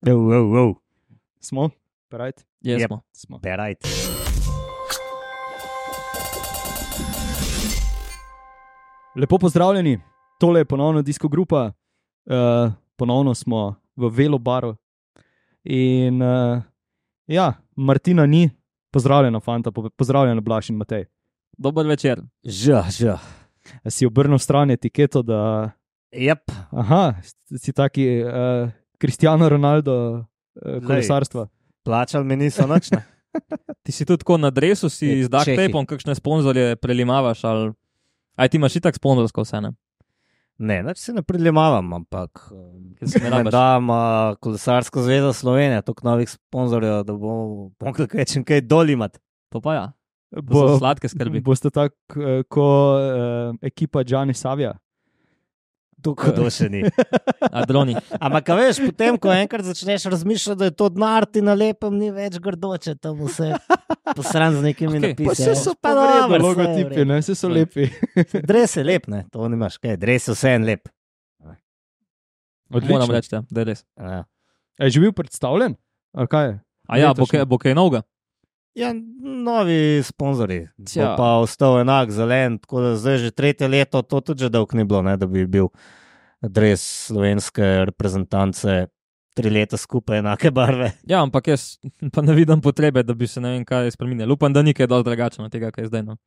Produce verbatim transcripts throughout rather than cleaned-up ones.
Oh, oh, oh. Smo? Perajt? Yes, Yep. smo. Smo. Berajt. Lepo pozdravljeni, tole je ponovno Disco Grupa, uh, ponovno smo v Velo baru in uh, ja, Martina ni, pozdravljena fanta, po- pozdravljena Blaž in Matej. Dober večer. Ža, ža. A si obrnil stran etiketo, da Jep. aha, si taki uh, Cristiano Ronaldo uh, kolesarstva. Plačal mi niso nič, ne? Ti si tudi tako na dresu, si Je, z duct Čehi. tapeom kakšne sponzorje prelimavaš, ali aj ti imaš itak sponzorsko vse, ne? Ne, nič se ne priljemavam, ampak Ker se ne ne rabiš. dam uh, Kolesarsko zvezo Slovenije, toliko novih sponzorjev, da bom mogel kaj čim kaj dol imat. To pa ja. To Bo, so sladke skrbi. boste tako uh, ko uh, ekipa Gianni Savija. Tukaj to še ni. A droni. Ampak, a veš, potem, ko enkrat začneš razmišljati, da je to denar, ti na lepem ni več grdoče, tam vse posran z nekimi Okej, okay, Pa napisi. se so pa dobro, vredno saj je logotipi, vredno. ne, se so lepi. Dres je lep, ne, to nimaš kaj, dres je vse en lep. Moram reči, ja, da je res. Ja. Je že bil predstavljen? Ali kaj je? A ja, bo Letošnji. kaj, bo kaj novega? Ja, novi sponzorji, Tja. bo pa ostal enak, zelen, tako da zdaj že tretje leto, to tudi že dolgo ni bilo, ne, da bi bil dres slovenske reprezentance tri leta skupaj enake barve. Ja, ampak jaz pa ne vidim potrebe, da bi se ne vem kaj spremenil. Upam, da ni kaj dosti drugačno od tega, kaj je zdaj. No,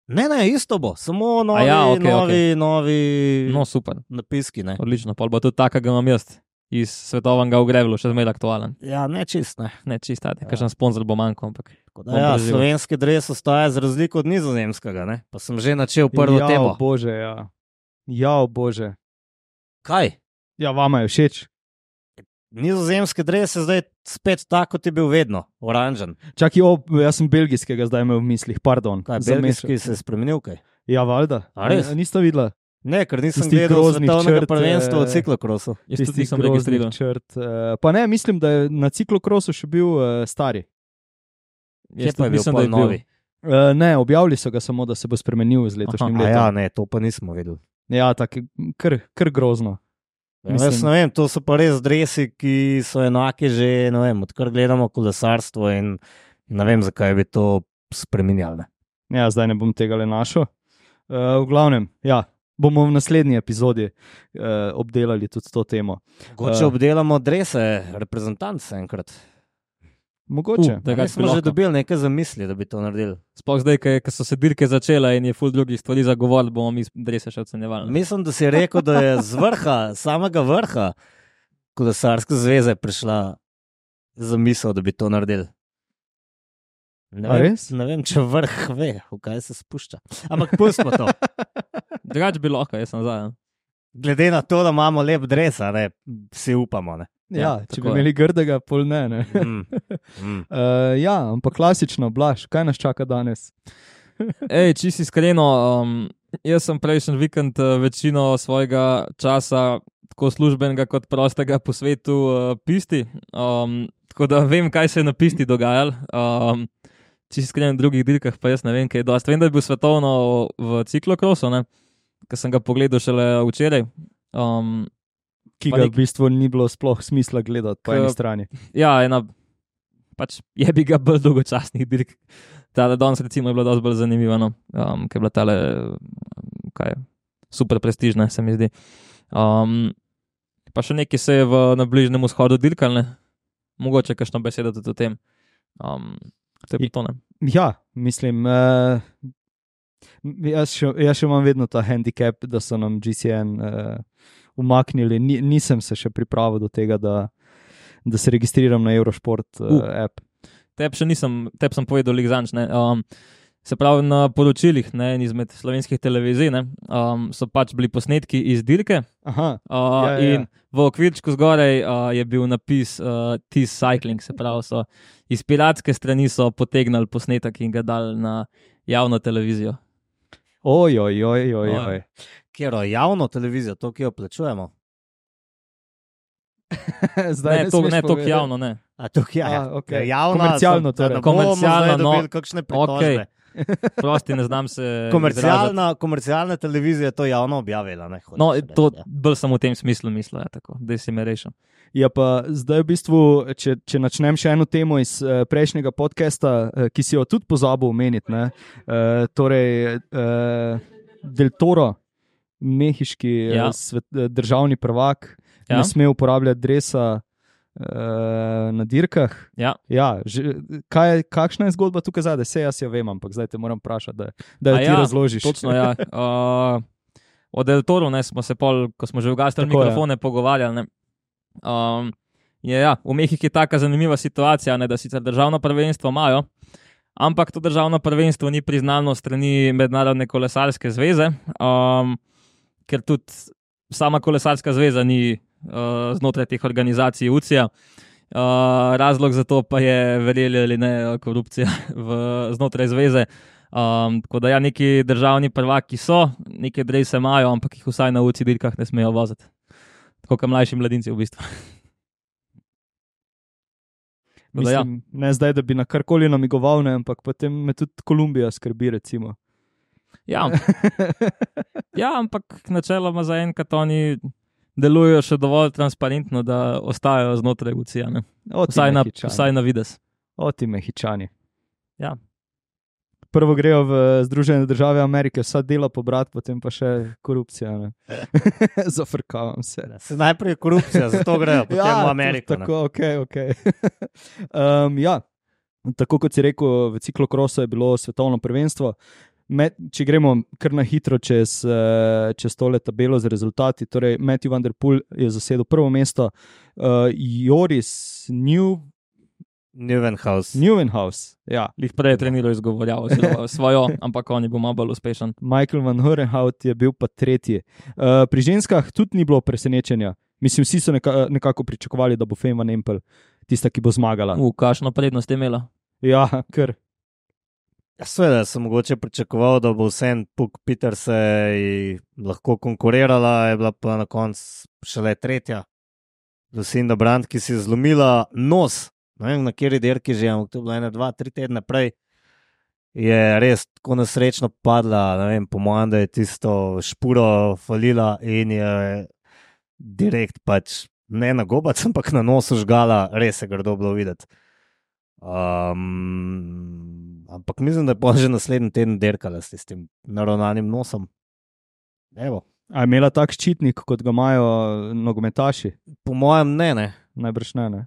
Ne, ne, isto bo, samo novi, ja, okej, novi, novi no super, napiski, ne. odlično. Pol bo tudi takega imam jaz iz svetovnega ogrevla, še zmeraj aktualen. Ja, ne čist, ne. Ne, čist, ja. Ja. Kakšen sponzor bo manjkal, ampak Tako Bom Da, ja, preživel. slovenski dres ostaja za razliko od nizozemskega, ne? Pa sem že načel prvo ja, temo. Bože, ja. Ja, bože. Kaj? Ja, vama je všeč. Nizozemski dres je zdaj spet tako, kot je bil vedno, oranžen. Čakaj, o, jaz sem belgijskega zdaj imel v mislih, pardon. Kaj, zamešal belgijski se sem. je spremenil kaj? Ja, valjda. A res? N- Nista videla Ne, ker nisem Tistih gledal groznih svetovnega črt, prvenstva v eh, ciklokrosu. jaz tudi tistih nisem groznih registriral. črt. Uh, pa ne, mislim, da je na ciklokrosu še bil uh, stari. Kje Jaz pa je tudi bil mislim, da pol je bil. novi? Uh, ne, objavili so ga samo, da se bo spremenil z letošnjim A letom. ja, ne, to pa nismo vedeli. Ja, tako kar, kar grozno. Ja, Mislim- jaz ne vem, to so pa res dresi, ki so enaki že, ne vem, odkar gledamo kolesarstvo in ne vem, zakaj bi to spremenjali. ne. Ja, zdaj ne bom tega le našel. Uh, v glavnem, ja, bomo v naslednji epizodi uh, obdelali tudi to temo. Mogoče Eh. obdelamo drese reprezentance enkrat. Mogoče. Uh, da Mi ga smo že dobili nekaj zamisli, da bi to naredili. Sploh zdaj, ko so se dirke začele in je ful drugih stvari zagovorili, bomo mi drese še ocenjevali. ne. Mislim, da si rekel, da je z vrha, samega vrha kolesarske zveze prišla zamisel, da bi to naredili. Ne A vem, res? ne vem, če vrh ve, v kaj se spušča. Ampak pustimo to. Drugač bi lahko, jaz sem za. ja. Glede na to, da imamo lep dres, a ne, vsi upamo. Ne? Ja, Ja, če tako bi je. imeli grdega, pol ne. ne. Mm. Mm. Uh, ja, ampak klasično, Blaž, kaj nas čaka danes? Ej, čisto iskreno, um, jaz sem prejšnji vikend uh, večino svojega časa, tako službenega kot prostega, po svetu uh, pisti. Um, tako da vem, kaj se je na pisti dogajalo. Um, čisto iskreno, v drugih dirkah pa jaz ne vem, kaj je dosti. Vem, da je bil svetovno v ciklokrosu, ker sem ga pogledal šele včeraj. Um, Ki Pa ga nek- v bistvu ni bilo sploh smisla gledati po K- eni strani. Ja, ena, pač je bi ga bolj dolgočasnih dirk. Tale danes recimo je bila dosti bolj zanimiva, no, um, ker je bila tale, kaj je, super prestižna, se mi zdi. Um, pa še nekaj se je v, na Bližnjem vzhodu dirkal, ne? Mogoče kakšno besedo tudi o tem. Um, to je I- pa to, ne. Ja, mislim, uh, jaz, še, jaz še imam vedno ta handicap, da so nam G C N uh, umaknili. Ni, nisem se še pripravil do tega, da, da se registriram na Eurosport uh, Uh. app. Teb še nisem, teb sem povedal ligzanč, ne. Um, se pravi, na poročilih, ne, en izmed slovenskih televizij, ne, um, so pač bili posnetki iz dirke. Aha, Uh, Ja, ja, ja. in v okvirčku zgoraj uh, je bil napis uh, Tis Cycling, se pravi, so iz piratske strani so potegnili posnetek in ga dali na javno televizijo. oj, oj, oj, oj, Oj. oj. Kjero, javno televizijo, to, ki jo plačujemo. Zdaj Ne, to, smeš ne toliko povedati. javno, ne. A, to, ja, A, okej. javna, Komercialno sem- da torej. ne bomo Komercialna, zdaj no, dobili kakšne pritožbe. Prosti, ne znam se izraziti. Komercialna, komercialna televizija je to javno objavila. Ne, hočeš No, reči, to ja. bolj sem v tem smislu mislil, ja, tako, da si me rešil. Ja, pa zdaj v bistvu, če, če načnem še eno temo iz uh, prejšnjega podcasta, uh, ki si jo tudi pozabil omeniti, ne, uh, torej uh, Del Toro, mehiški Ja. uh, svet, uh, državni prvak, Ja. ne sme uporabljati dresa uh, na dirkah. Ja. Ja, že, kaj, kakšna je zgodba tukaj zadaj? Sej jaz jo vem, ampak zdaj te moram vprašati, da, da jo A ti ja, razložiš. Točno, ja. Uh, o Del Toru, ne, smo se pol, ko smo že ugasnili Tako je. mikrofone, pogovarjali. Ne. Um, je, ja, v Mehiki je taka zanimiva situacija, ne, da sicer državno prvenstvo imajo, ampak to državno prvenstvo ni priznano strani Mednarodne kolesarske zveze, um, ker tudi sama kolesarska zveza ni uh, znotraj teh organizacij U C I A. Uh, razlog za to pa je, verjeli ali ne, korupcija v, znotraj zveze. Um, tako da ja, neki državni prvaki so, neke drese imajo, ampak jih vsaj na U C I dirkah ne smejo voziti. Tako kot mlajši mladinci v bistvu. Tako da ja. Mislim, ne zdaj, da bi na karkoli namigoval, ne, ampak potem me tudi Kolumbija skrbi, recimo. Ja, ja, ampak načeloma zaenkrat oni delujejo še dovolj transparentno, da ostajajo znotraj U C I A. Ne? O, ti Vsaj, na, Mehičani. vsaj na vides. O, ti Mehičani. Ja. Prvo grejo v Združene države Amerike, vsa dela pobrat, potem pa še korupcija. ne. Zafrkavam se. Se najprej korupcija, zato grejo potem Ja, v Ameriko. ne. Tako, ok, ok. um, ja, tako kot si rekel, v ciklokrosu je bilo svetovno prvenstvo. Met, če gremo kar na hitro čez, uh, čez tole tabelo z rezultati, torej Matthew Van Der Poel je zasedel prvo mesto, uh, Joris New, Neuwenhuis. Neuwenhuis, ja. Lih prej je treniral izgovorjavo svojo, ampak on je bil malo bolj uspešen. Michael Van Horenhout je bil pa tretji. Uh, pri ženskah tudi ni bilo presenečenja. Mislim, vsi so neka, nekako pričakovali, da bo Fem Van Empel tista, ki bo zmagala. U, kakšno prednost je imela. Ja, ker. Ja, seveda sem mogoče pričakoval, da bo vsem Puk Peters lahko konkurirala, je bila pa na koncu šele tretja. Lucinda Brandt, ki si je zlomila nos, ne vem na kateri dirki že, ampak to je bilo ene, dva, tri tedne prej, je res tako nesrečno padla, ne vem, po mojem, da je tisto špuro falila in je direkt pač ne na gobac, ampak na nosu žgala, res je grdo bilo videti. Um, ampak mislim, da je pa že naslednji teden dirkala s tem naravnanim nosom. Evo. A je imela tak ščitnik, kot ga imajo nogometaši? Po mojem ne, ne. Najbrž ne, ne.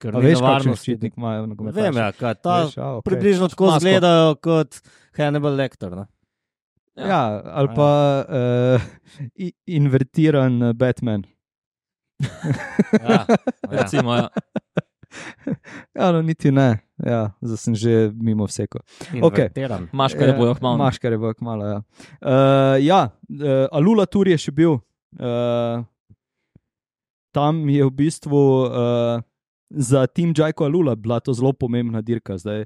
Ker A ni veš, kakšen nevarnosti. ščitnik imajo nogometaši? Vem, ja, kaj, ta Veš, a, okay. približno tako Masko. izgledajo kot Hannibal Lecter. Ne? Ja, ali pa uh, i- invertiran Batman. Ja, ja. Recimo, ja. Ja, no, niti ne. Ja, zdaj sem že mimo vseko. Okej. Invertiran. Maškare bojo hmalo. Maškare bojo kmalo, ja. Uh, ja, uh, Alula Tour je še bil. Uh, tam je v bistvu uh, za tim Jajko Alula bila to zelo pomembna dirka. Zdaj,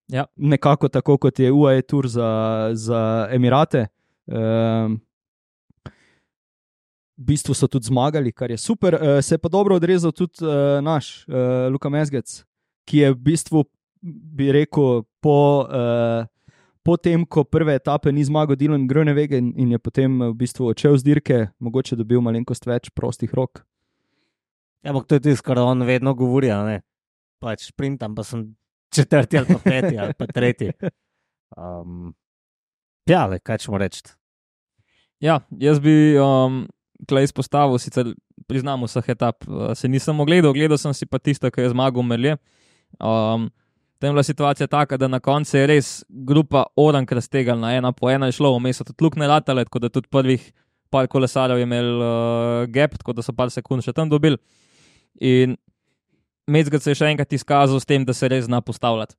Ja. nekako tako, kot je U A E Tour za, za Emirate. Um, v bistvu so tudi zmagali, kar je super. Uh, se je pa dobro odrezal tudi uh, naš uh, Luka Mezgec, ki je v bistvu, bi rekel, po, uh, po tem, ko prve etape ni zmagal Dylan Groenewegen in je potem v bistvu odšel z dirke, mogoče dobil malenkost več prostih rok. Ja, ampak to je tisto, kar on vedno govori, a ne. Pač sprintam, pa sem četrti ali pa peti ali pa tretji. Um, ja, le, kaj ćemo reči. Ja, jaz bi um, tleh izpostavil, sicer priznam vseh etap, uh, se nisem ogledal, gledal sem si pa tisto, ki je zmagal Merlier. Um, tam je bila situacija taka, da na koncu je res grupa orank raztegalna, ena po ena je šlo, vmes so tudi lukne ratale, tako da tudi prvih par kolesarjev je imel uh, gap, tako da so par sekund še tam dobili. In Mezgec se je še enkrat izkazal s tem, da se res zna postavljati.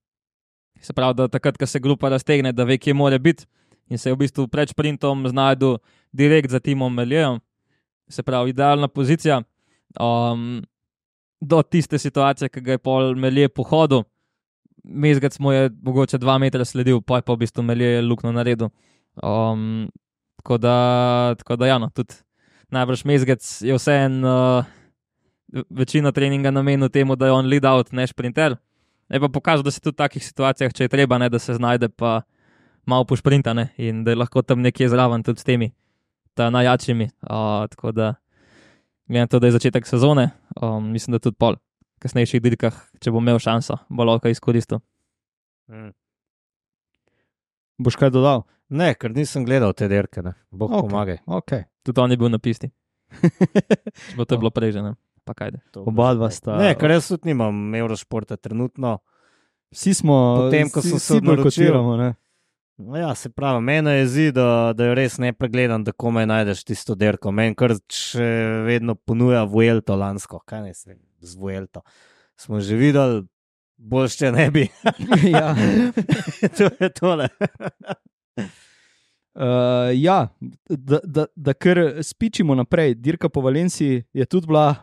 Se pravi, da takrat, ko se grupa raztegne, da ve, kje mora biti, in se je v bistvu pred sprintom znašel direkt za timom Merlierjem. Se pravi, idealna pozicija. Um, do tiste situacije, ki ga je pol Merlier pohodil, Mezgec mu je mogoče dva metra sledil, pa je pa v bistvu Merlier luknjo naredil. Um, tako da, tako da ja, no, tudi najbrž Mezgec je vseeno uh, večino treninga namenil temu, da je on lead out, ne sprinter. Je pa pokazal, da se tudi v takih situacijah, če je treba, ne, da se znajde pa malo pošprinta, ne, in da je lahko tam nekje zraven tudi s temi ta najjačimi. Uh, tako da, glede na to, da je začetek sezone, um, mislim, da tudi pol kasnejših dirkah, če bo imel šanso, bo lahko izkoristil. Mm. Boš kaj dodal? Ne, ker nisem gledal te dirke, ne. Bog Ok. pomagaj. Okay. Tudi on je bil na pisti. Če bo to Oh. bilo prej že, ne? Pa kajde. To Oba bo dva že sta- Ne, ker jaz tudi nimam Eurošporta trenutno. Vsi smo, Potem, ko vsi- sem se vsi odločil- bojkotiramo, ne? No ja, se pravi, mene je zdi, da, da je res nepregledan, da komaj najdeš tisto dirko. Meni kar še vedno ponuja Vuelto lansko. Kaj ne se z Vuelto? Smo že videli, bolj še ne bi. Ja. To je tole. Uh, ja, da, da, da kar spičimo naprej. Dirka po Valenciji je tudi bila,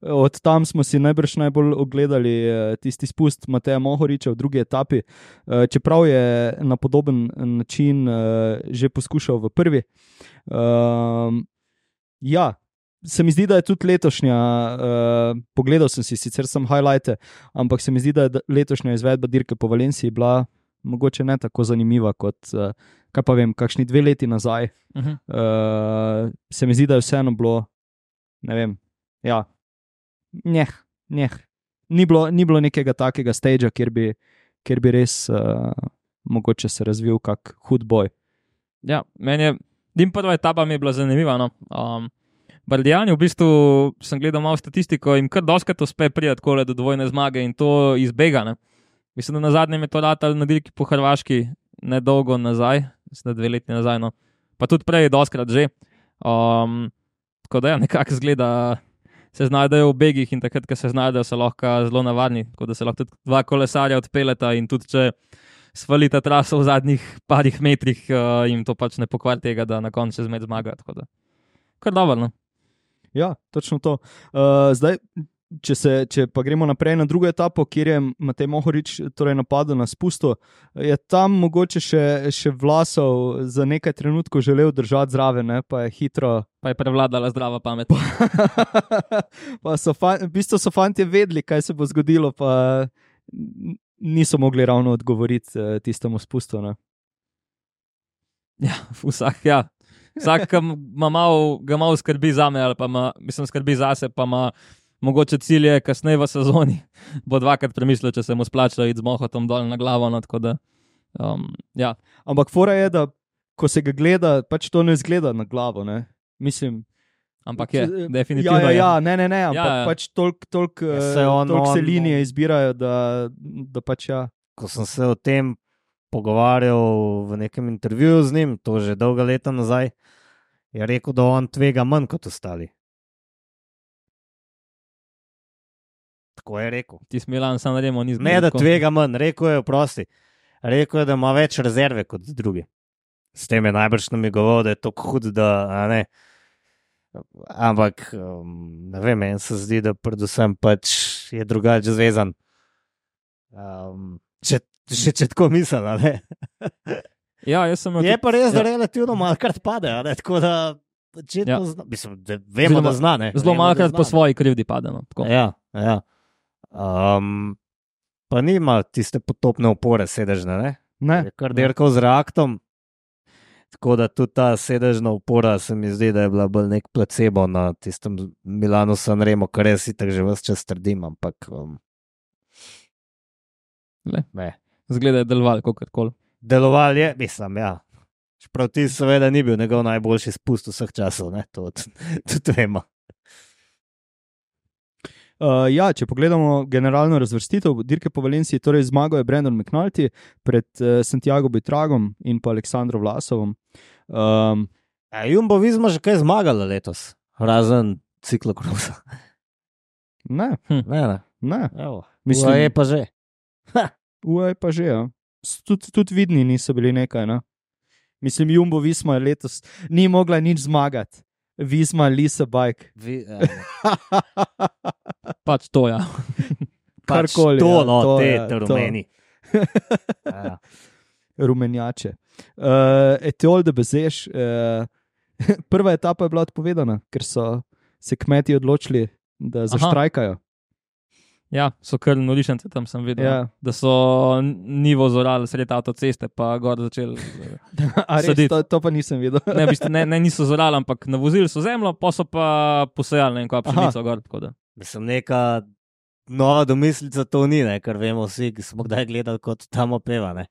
od tam smo si najbrž najbolj ogledali eh, tisti spust Mateja Mohoriča v drugi etapi, uh, čeprav je na podoben način uh, že poskušal v prvi. Uh, ja, se mi zdi, da je tudi letošnja, uh, pogledal sem si sicer sem highlighte, ampak se mi zdi, da je letošnja izvedba dirke po Valenciji bila mogoče ne tako zanimiva kot, uh, kaj pa vem, kakšni dve leti nazaj. Uh -huh. Uh, se mi zdi, da je vseeno bilo, ne vem, ja, njeh, njeh. Ni bilo, ni bilo nekega takega stagea, kjer bi, kjer bi res uh, mogoče se razvil kak hud boj. Ja, meni je, dim prva etapa mi je bila zanimiva. No. Um, Bardijani, v bistvu sem gledal malo statistiko, jim kar doskrat uspe priti kole do dvojne zmage in to izbega. Ne. Mislim, da na zadnjem je to ratal na dirki po Hrvaški nedolgo nazaj, mislim, da dve leti nazaj, no. Pa tudi prej doskrat že. Um, tako da ja, nekako zgleda, se znajdejo v begih in takrat, ko se znajdejo, so lahko zelo navarni, tako da se lahko tudi dva kolesarja odpeljeta in tudi če svalita traso v zadnjih parih metrih, uh, jim to pač ne pokvari tega, da na koncu zmed zmaga. Tako da, kar dobro, no. Ja, točno to. Uh, zdaj, če, se, če pa gremo naprej na drugo etapo, kjer je Matej Mohorič torej napadel na spustu, je tam mogoče še, še Vlasov za nekaj trenutkov želel držati zraven, ne? Pa je hitro. Pa je prevladala zdrava pamet. Pa so fan, v bistvu so fantje vedeli, kaj se bo zgodilo, pa niso mogli ravno odgovoriti uh, tistemu spustu. Ne? Ja, vsak, ja. Vsak ima malo, ga malo skrbi zame, ali pa ima, mislim, skrbi zase, pa ima mogoče cilje kasneje v sezoni. Bo dvakrat premislil, če se mu splača iti z mohotom dol na glavo. No, tako da, um, ja. Ampak fora je, da ko se ga gleda, pač to ne zgleda na glavo. Ne? Mislim, ampak je, definitivno. Ja, ja, je. ja, ne, ne, ne, ampak Ja, ja. pač toliko tolk, Ja, saj on- tolk se on- linije izbirajo, da, da pač ja. Ko sem se o tem pogovarjal v nekem intervjuju z njim, to že dolga leta nazaj, je rekel, da on tvega manj kot ostali. Tako je rekel. Ti Milan San Remo ni zmeraj. Ne, da tvega manj, rekel je, prosti. Rekel je, da ima več rezerve kot drugi. S tem je najbrž namigoval, da je to hud, da a ne. Ampak, um, ne vem, meni se zdi, da predvsem pač je drugače zvezan. Um, če, če, če tako misel, a ne. Ja, jaz sem imel Je tudi- pa res, da ja. relativno malkrat pade, a ne, tako da očitno Ja. zna, mislim, da vemo, Zelo da ma- zna, ne. Zelo Vemo, malokrat da po zna, svoji krivdi pade. No, tako. ne. Ja, ja. Um, pa nima tiste potopne opore sedežne, ne. Ne, Je kar dirkal z reaktom, tako da tudi ta sedežna opora se mi zdi, da je bila bolj nek placebo na tistem Milanu San Remo, kar jaz itak že ves čas trdim, ampak um, Le. ne. Zgleda je deloval, kakorkoli. Deloval je, mislim, ja. Čeprav ti seveda ni bil njegov najboljši spust vseh časov, ne, to t- tudi vemo. Uh, ja, če pogledamo generalno razvrstitev dirke po Valenciji, torej zmagal je Brandon McNulty pred uh, Santiago Buitragom in pa Aleksandrom Vlasovom. Um, A Jumbo Visma že kaj zmagala letos, razen ciklokrosa. ne, Ne, ne. ne. Evo. Mislim- Mislim, je pa že. Uaj pa že, ja. Tudi tud vidni niso bili nekaj, ne? Mislim, Jumbo Visma je letos ni mogla nič zmagati. Visma, Lisa Bike. Vi, ja. Pač to, ja. Pač Karkoli, to, ja, no, to, te, ja, te to. rumeni. Ja. Rumenjače. Uh, Etiol de Bezeš. Uh, prva etapa je bila odpovedana, ker so se kmeti odločili, da zaštrajkajo. Ja, so kar nolišence, tam sem videl, Ja. da so nivo zorali sred avtoceste, pa gor začeli. A res, Saditi. to, to pa nisem videl. Ne, v bistvu, ne, ne niso zorali, ampak navozili so zemljo, pa so pa posejali ne vem, kaj pšenico gor. Tako da. Mislim, neka nova domislica to ni, ne? Ker vemo vsi, ki smo kdaj gledali, kot tam opeva. Ne?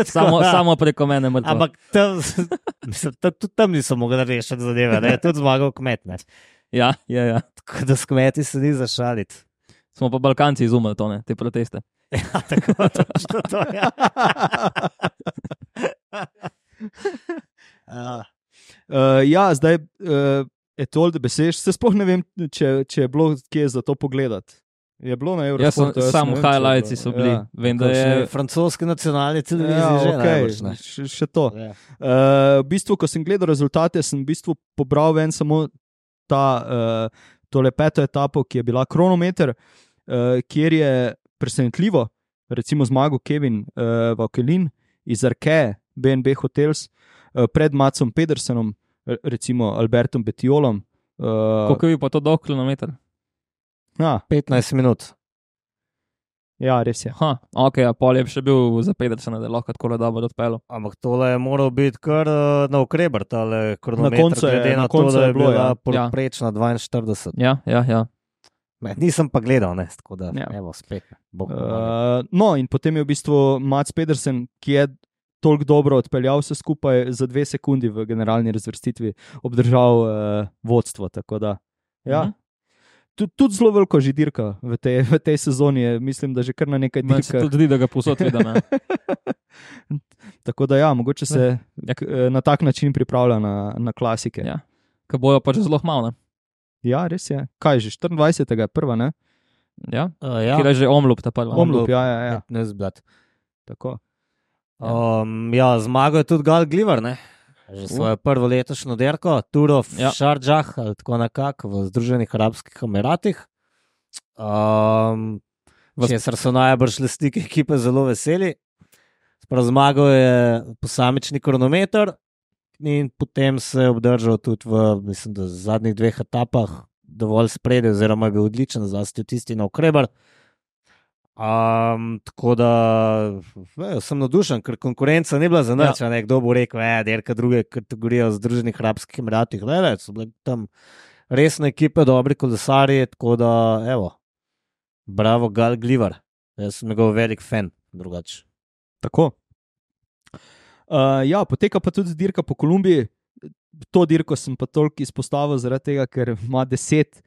Samo, samo preko mene mrtvo. Ampak tam, mislim, tam, tudi tam niso mogli rešiti zadeve, ne? Tudi zmagal kmet. Ne? Ja, ja, ja. Tako da s kmeti se ni zašaliti. Smo pa Balkanci izumili to, ne, te proteste. Ja, tako točno to je. Ja. Ja. Uh, ja, zdaj uh, je to, da besež. Se sploh ne vem, če, če je bilo kje za to pogledati. Je bilo na Jaz sem, Eurosportu? jaz samo ne vem, če je highlightsi bilo. so bili. Ja. Vem, da je. Kakšne francoske nacionalne televizije Ja, že okay. najbrž, ne. še, še to. Ja. Uh, v bistvu, ko sem gledal rezultate, sem v bistvu pobral ven samo ta, uh, tole peto etapo, ki je bila kronometer, uh, kjer je presenetljivo, recimo zmagal Kevin uh, Vauquelin iz Arke, B and B Hotels, uh, pred Macom Pedersenom, recimo Albertom Betiolom. Uh, Koliko je bil pa to dolg kilometer? ja, petnajst minut. ja, res je. Ha, ok, a pol je še bil za Pedersena, da je lahko tako dobro odpeljal. Ampak tole je moral biti kar uh, na ukreber, tale kronometer, koncu je- glede na na to, koncu da je je bilo, bila ja. poprečna dvainštirideset. Ja, ja, ja. Ne, nisem pa gledal, ne, tako da, Ja. evo, spet. Bog pomaga. Uh, no, in potem je v bistvu Mats Pedersen, ki je toliko dobro odpeljal vse skupaj, za dve sekundi v generalni razvrstitvi obdržal uh, vodstvo. Tako da, ja. Mhm. Tud, tudi zelo veliko že dirka v tej, v tej sezoni, je, mislim, da že kar na nekaj Meni se dirkah. tudi zdi, da ga posod vidim. ja. Tako da, ja, mogoče se Ja. k, na tak način pripravlja na, na klasike. Ja. Ker bojo pač zelo malo. Ne? Ja, res je. Kaj že, štiriindvajsetega je prva, ne? Ja. Uh, ja, Kjer je že omlup, ta prva. Omlup, ja, ja, ja. ne zblad. Tako. Um, ja, zmagal je tudi Gal Gliver, ne? Že svojo prvo letošnjo dirko, Tour of Ja. Sharjah, ali tako nekako v Združenih arabskih emiratih. Um, Vas- Česar so najbrž lastniki ekipe zelo veseli. Sprav zmagal je posamični kronometer in potem se je obdržal tudi v, mislim, da zadnjih dveh etapah dovolj spredaj, oziroma je bil odličen, zlasti v tisti na ukreber. Um, tako da ve, sem navdušen, ker konkurenca ni bila za nič. Ja. Kdo bo rekel, da je derka druge kategorije v Združenih arabskih emiratih. Le, le, so bile tam resne ekipe, dobri kolesarji. Tako da, evo, bravo, Gal Gliver. Jaz sem njegov velik fan, drugače. Tako. Uh, ja, poteka pa tudi dirka po Kolumbiji. To dirko sem pa toliko izpostavil zaradi tega, ker ima deset,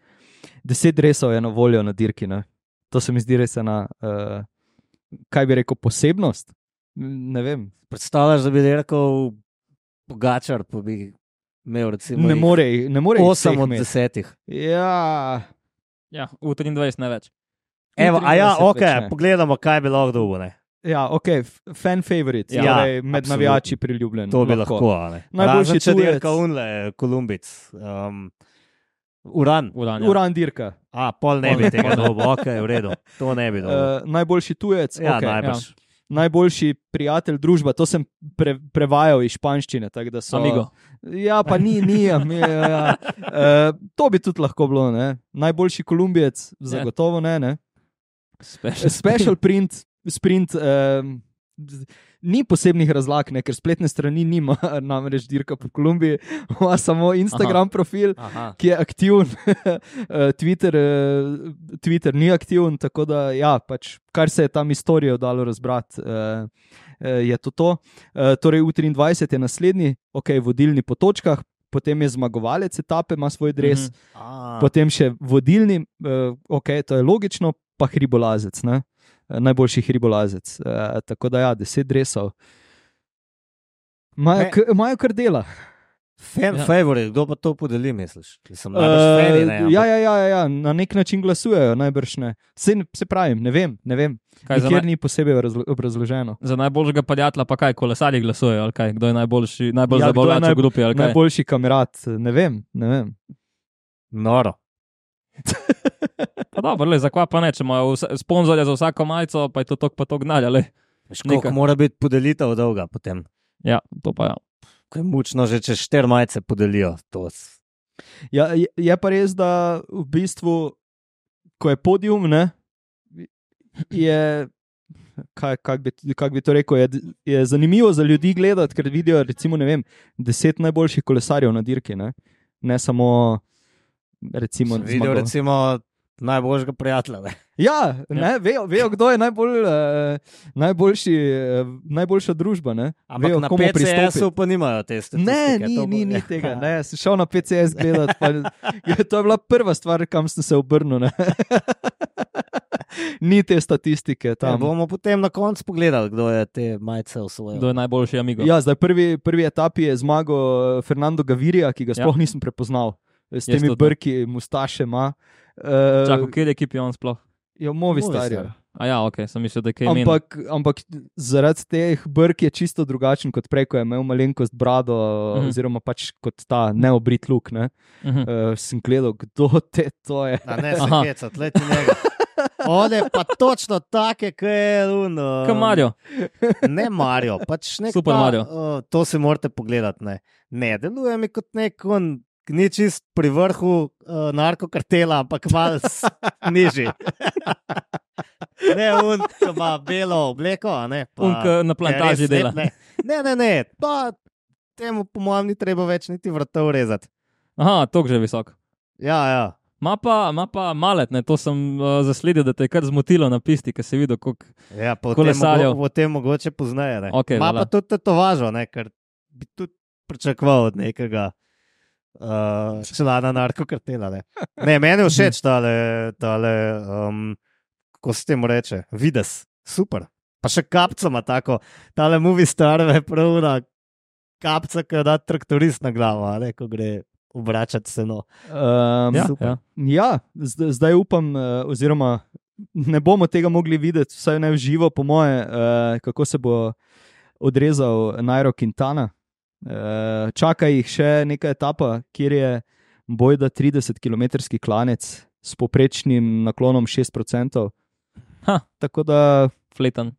deset dresov je na voljo na dirki. Ne? To se mi zdi res ena, uh, kaj bi rekel, posebnost. Ne vem. Predstavljaš, da bi rekel Pogačar, pa bi imel recimo Ne jih more, ne more jih osem vseh od imeti. desetih. Ja, Ja, v triindvajset ne več. Evo, a ja, triindvajset ok, več ne. pogledamo, kaj bi lahko dobil. Ne? ja, ok, f- fan favorite, Ja, ja, torej med absolutno. navijači priljubljen. To bi lahko. lahko Najboljši Razen če tujec. dirka unle, Kolumbic. Um, Uran. Uran, ja. Uran dirka. A, pol ne bi tega dobil, ok, v redu. To ne bi dobil. Uh, najboljši tujec, ja, okay. najbrž. Najboljši prijatelj družba, to sem pre, prevajal iz španščine. tako da So, Amigo. Ja, pa ni, ni. ami- Ja. Uh, to bi tudi lahko bilo. Ne? Najboljši Kolumbijec, zagotovo ne. ne? Special. Special print, sprint. Um, Ni posebnih razlag, ne, ker spletne strani nima, namreč dirka po Kolumbiji, ima samo Instagram Aha. profil, Aha. ki je aktiven, Twitter, eh, Twitter ni aktiven, tako da, ja, pač, kar se je tam istorijo dalo razbrati, eh, eh, je to to. Eh, torej, U triindvajset je naslednji, ok, vodilni po točkah, potem je zmagovalec etape, ima svoj dres, Mhm. A, potem še vodilni, eh, ok, to je logično, pa hribolazec, ne? Eh, najboljši hribolazec. Eh, tako da, ja, deset dresov. Imajo Me- k- Imajo kar dela. Fan Ja. favorite, kdo pa to podeli, misliš? Sem Uh, najbrž fani, ne, ampak- ja, ja, ja, ja, ja, na nek način glasujejo, najbrž ne. Se, se pravim, ne vem, ne vem. Kaj za, Nikjer naj, ni posebej razlo- obrazloženo. za najboljšega prijatelja pa kaj, kolesarji glasujejo, ali kaj? Kdo je najboljši, najbolj Ja, ja, kdo je zabavljač naj- v grupi, ali kaj? Najboljši kamerat, ne vem, ne vem. Noro. Pa dobro, le, zakaj pa ne, če imajo vse- sponzorja za vsako majico, pa je to tok pa tok gnalja, le. Veš, koliko Nekaj. mora biti podelitev dolga potem? Ja, to pa ja. Ko je mučno, že če štiri majice podelijo. To s- Ja, je, je pa res, da v bistvu ko je podium, ne, je, kaj, kak bi, kak bi to rekel, je, je zanimivo za ljudi gledati, ker vidijo, recimo, ne vem, deset najboljših kolesarjev na dirki, ne, ne samo, recimo, Videl, recimo, najboljšega prijatelja. Ne? Ja, ne, vejo, vejo, kdo je najbolj, uh, najboljši, uh, najboljša družba. Ne? Ampak vejo, na komu P C S-u pristopi. pa nimajo te statistike. Ne, ni, to bo- ni, ni tega. Ne, sem šel na P C S gledati. Pa, to je bila prva stvar, kam sem se obrnil. Ne? Ni te statistike Ja, tam. bomo potem na koncu pogledali, kdo je te majice osvojil. Kdo je najboljši amigo? Ja, zdaj prvi, prvi etapi je zmagal Fernando Gavirija, ki ga sploh ja. nisem prepoznal. S Jaz temi tudi ne. brki, mustaše ima. Uh, Čakaj, kje je ekipi on sploh? je Movi Movistar. star. A ja, ok, sem mislil, da je kaj imen. Ampak, ampak zaradi teh brk je čisto drugačen kot prej, ko je imel malenkost brado, Mhm. mm. oziroma pač kot ta neobrit luk. Ne? Uh -huh. Uh, sem gledal, kdo te to je. A ne se Aha. heca, tleti njega. On je pa točno take, kot je un. um, Kaj Mario? Ne Mario, pač nek Super ta, Mario. Uh, to si morate pogledati. Ne, ne deluje mi kot nek on, ni čist pri vrhu uh, narkokartela, ampak malo s- nižji. Ne, un, ki ima belo obleko, a ne. Pa, Un, ki na plantaži je res dela. lep, Ne, ne, ne, ne. Pa, temu po mojem ni treba več niti vratov rezati. Aha, tok že visok. Ja, ja. Ma pa, ma pa malet, ne, to sem uh, zasledil, da te je kar zmotilo na pisti, ker si videl, koliko. Ja, po tem, Kolesarjev. mogo, po tem mogoče poznaje. Ne. Okej, Ma voilà. pa tudi tetovažo, ne, ker bi tudi pričakoval od nekega uh, člana narkokartela. Ne. ne, meni je všeč tale, tale um, kako se temu reče, vides, super. Pa še kapca ima tako, tale movie star je pravna kapca, ki jo da traktorist na glavo, a ne, ko gre obračati seno. Um, Ja, super. ja. Ja, zdaj, zdaj upam, uh, oziroma ne bomo tega mogli videti, vsaj ne v živo, po moje, uh, kako se bo odrezal Nairo Quintana. Uh, čaka jih še neka etapa, kjer je bojda trideset kilometrski klanec s poprečnim naklonom šest procentov. Ha. Tako da Fletan.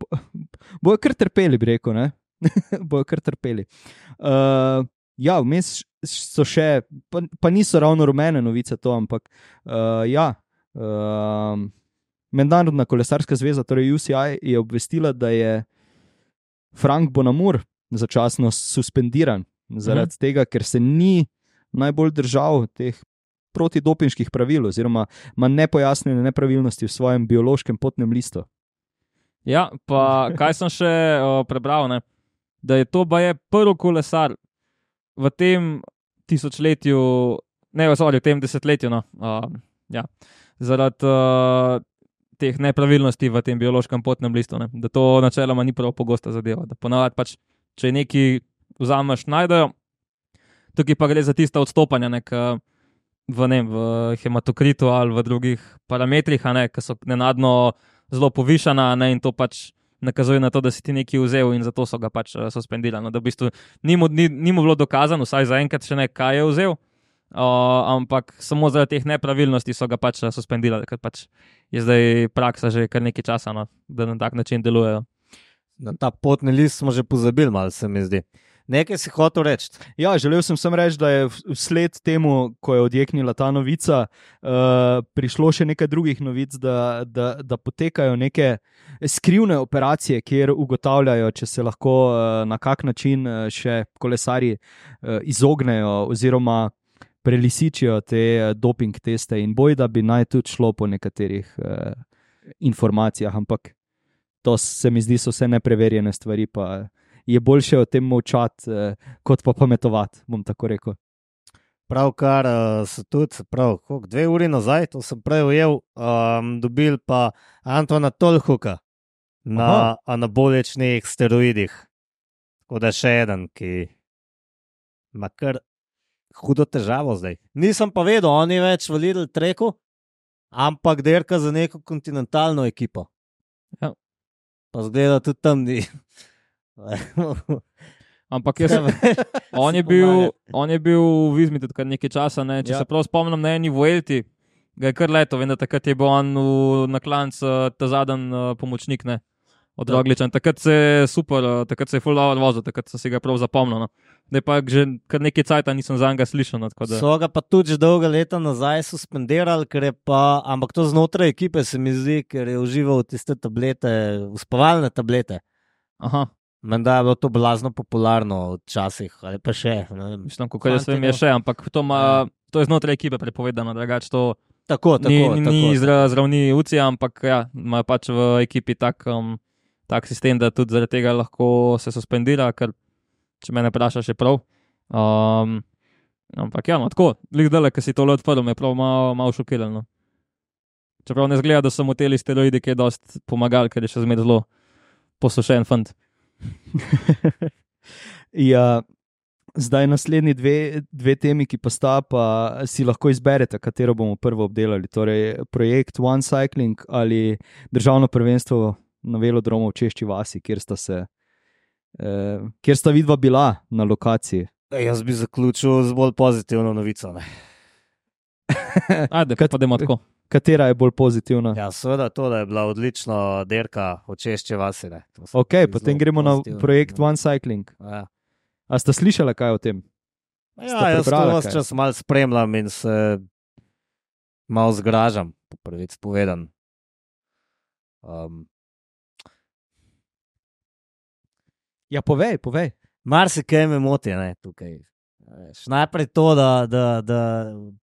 bojo kar trpeli, bi rekel. ne? bojo kar trpeli. Uh, ja, vmes so še, pa, pa niso ravno rumene novice to, ampak uh, ja. Uh, Mednarodna kolesarska zveza, torej U C I, je obvestila, da je Frank Bonamur začasno suspendiran zaradi Mhm. tega, ker se ni najbolj držal teh protidopinških pravil, oziroma ima nepojasnjene nepravilnosti v svojem biološkem potnem listu. Ja, pa kaj sem še uh, prebral, ne? Da je to baje prvi kolesar v tem tisočletju, ne, sorry, v tem desetletju, no, uh, ja, zaradi uh, teh nepravilnosti v tem biološkem potnem listu, ne? Da to načeloma ni prav pogosta zadeva, da ponavadi pač, če nekaj vzameš, najdejo, tukaj pa gre za tista odstopanja, nek, v, ne, vem, v hematokritu ali v drugih parametrih, a ne, ki so nenadno zelo povišana, ne, in to pač nakazuje na to, da si ti nekaj vzel in zato so ga pač uh, suspendirali. No, da v bistvu ni mu, ni, ni mu bilo dokazano, vsaj zaenkrat še ne, kaj je vzel, uh, ampak samo zaradi teh nepravilnosti so ga pač uh, suspendirali, ker pač je zdaj praksa že kar nekaj časa, no, da na tak način delujejo. Na ta potni list smo že pozabili, malo se mi zdi. Nekaj si hotel reči. Ja, želel sem samo reči, da je vsled temu, ko je odjeknila ta novica, uh, prišlo še nekaj drugih novic, da, da, da potekajo neke skrivne operacije, kjer ugotavljajo, če se lahko uh, na kak način uh, še kolesarji uh, izognejo oziroma prelisičijo te uh, doping teste, in boj, da bi naj tudi šlo po nekaterih uh, informacijah, ampak to se mi zdi, so vse nepreverjene stvari, pa je boljše o tem molčati, eh, kot pa pametovati, bom tako rekel. Pravkar uh, so tudi, prav, koliko, dve uri nazaj, to sem prej ujel, um, dobil pa Antona Tolhuka na Aha. anaboličnih steroidih. Tako da še eden, ki ima kar hudo težavo zdaj. Nisem pa vedel, on je več v Lidl treku, ampak derka za neko kontinentalno ekipo. Ja. Pa zgleda tudi tam ni. Ampak jaz, on, je bil, on je bil v Izmi tudi kar nekaj časa, ne? Če Ja. ja. se prav spomnim na eni Vuelti, ga je kar leto, vem, da takrat je bil on v, na klancu ta zadnji uh, pomočnik, ne? od Rogliča. Takrat se je super, takrat se je full dobro vozil, takrat sem si ga prav zapomnil. No. Zdaj pa že kar nekaj cajta nisem za njega slišal. No, da... So ga pa tudi že dolga leta nazaj suspendirali, ker je pa, ampak to znotraj ekipe se mi zdi, ker je užival tiste tablete, uspavalne tablete. Aha. Menda je bilo to blazno popularno včasih, ali pa še. Mislim, kako jaz vem, je še, ampak to, ma, to je znotraj ekipe prepovedano, drugače to tako, tako, ni, tako, ni tako. zravni U C I, ampak ja, imajo pač v ekipi tak, um, tak sistem, da tudi zaradi tega lahko se suspendira, ker če me ne vprašaš, je prav. Um, ampak ja, no, tako, lik dele, ki si tole odprl, me je prav malo, malo šokiral. No. Čeprav ne zgleda, da so mu teli steroidi, ki je dost pomagali, ker je še zmer zelo posušen fant. Ja, zdaj naslednji dve, dve temi, ki pa sta, pa si lahko izberete, katero bomo prvo obdelali. Torej, projekt One Cycling ali državno prvenstvo na velodromu v Češči vasi, kjer sta se, eh, kjer sta vidva bila na lokaciji. Jaz bi zaključil z bolj pozitivno novico. Ne? Ajde, pa pa dajmo tako. Katera je bolj pozitivna? Ja, seveda to, da je bila odlična derka v Češči vasi. Ne? Ok, potem gremo na projekt One Cycling. Ja. A sta slišala kaj o tem? Ja, jaz to vas čas malo spremljam in se malo zgražam, po prvič povedan. Um, ja, povej, povej. Mar se kaj me moti, ne, tukaj. Najprej to, da, da, da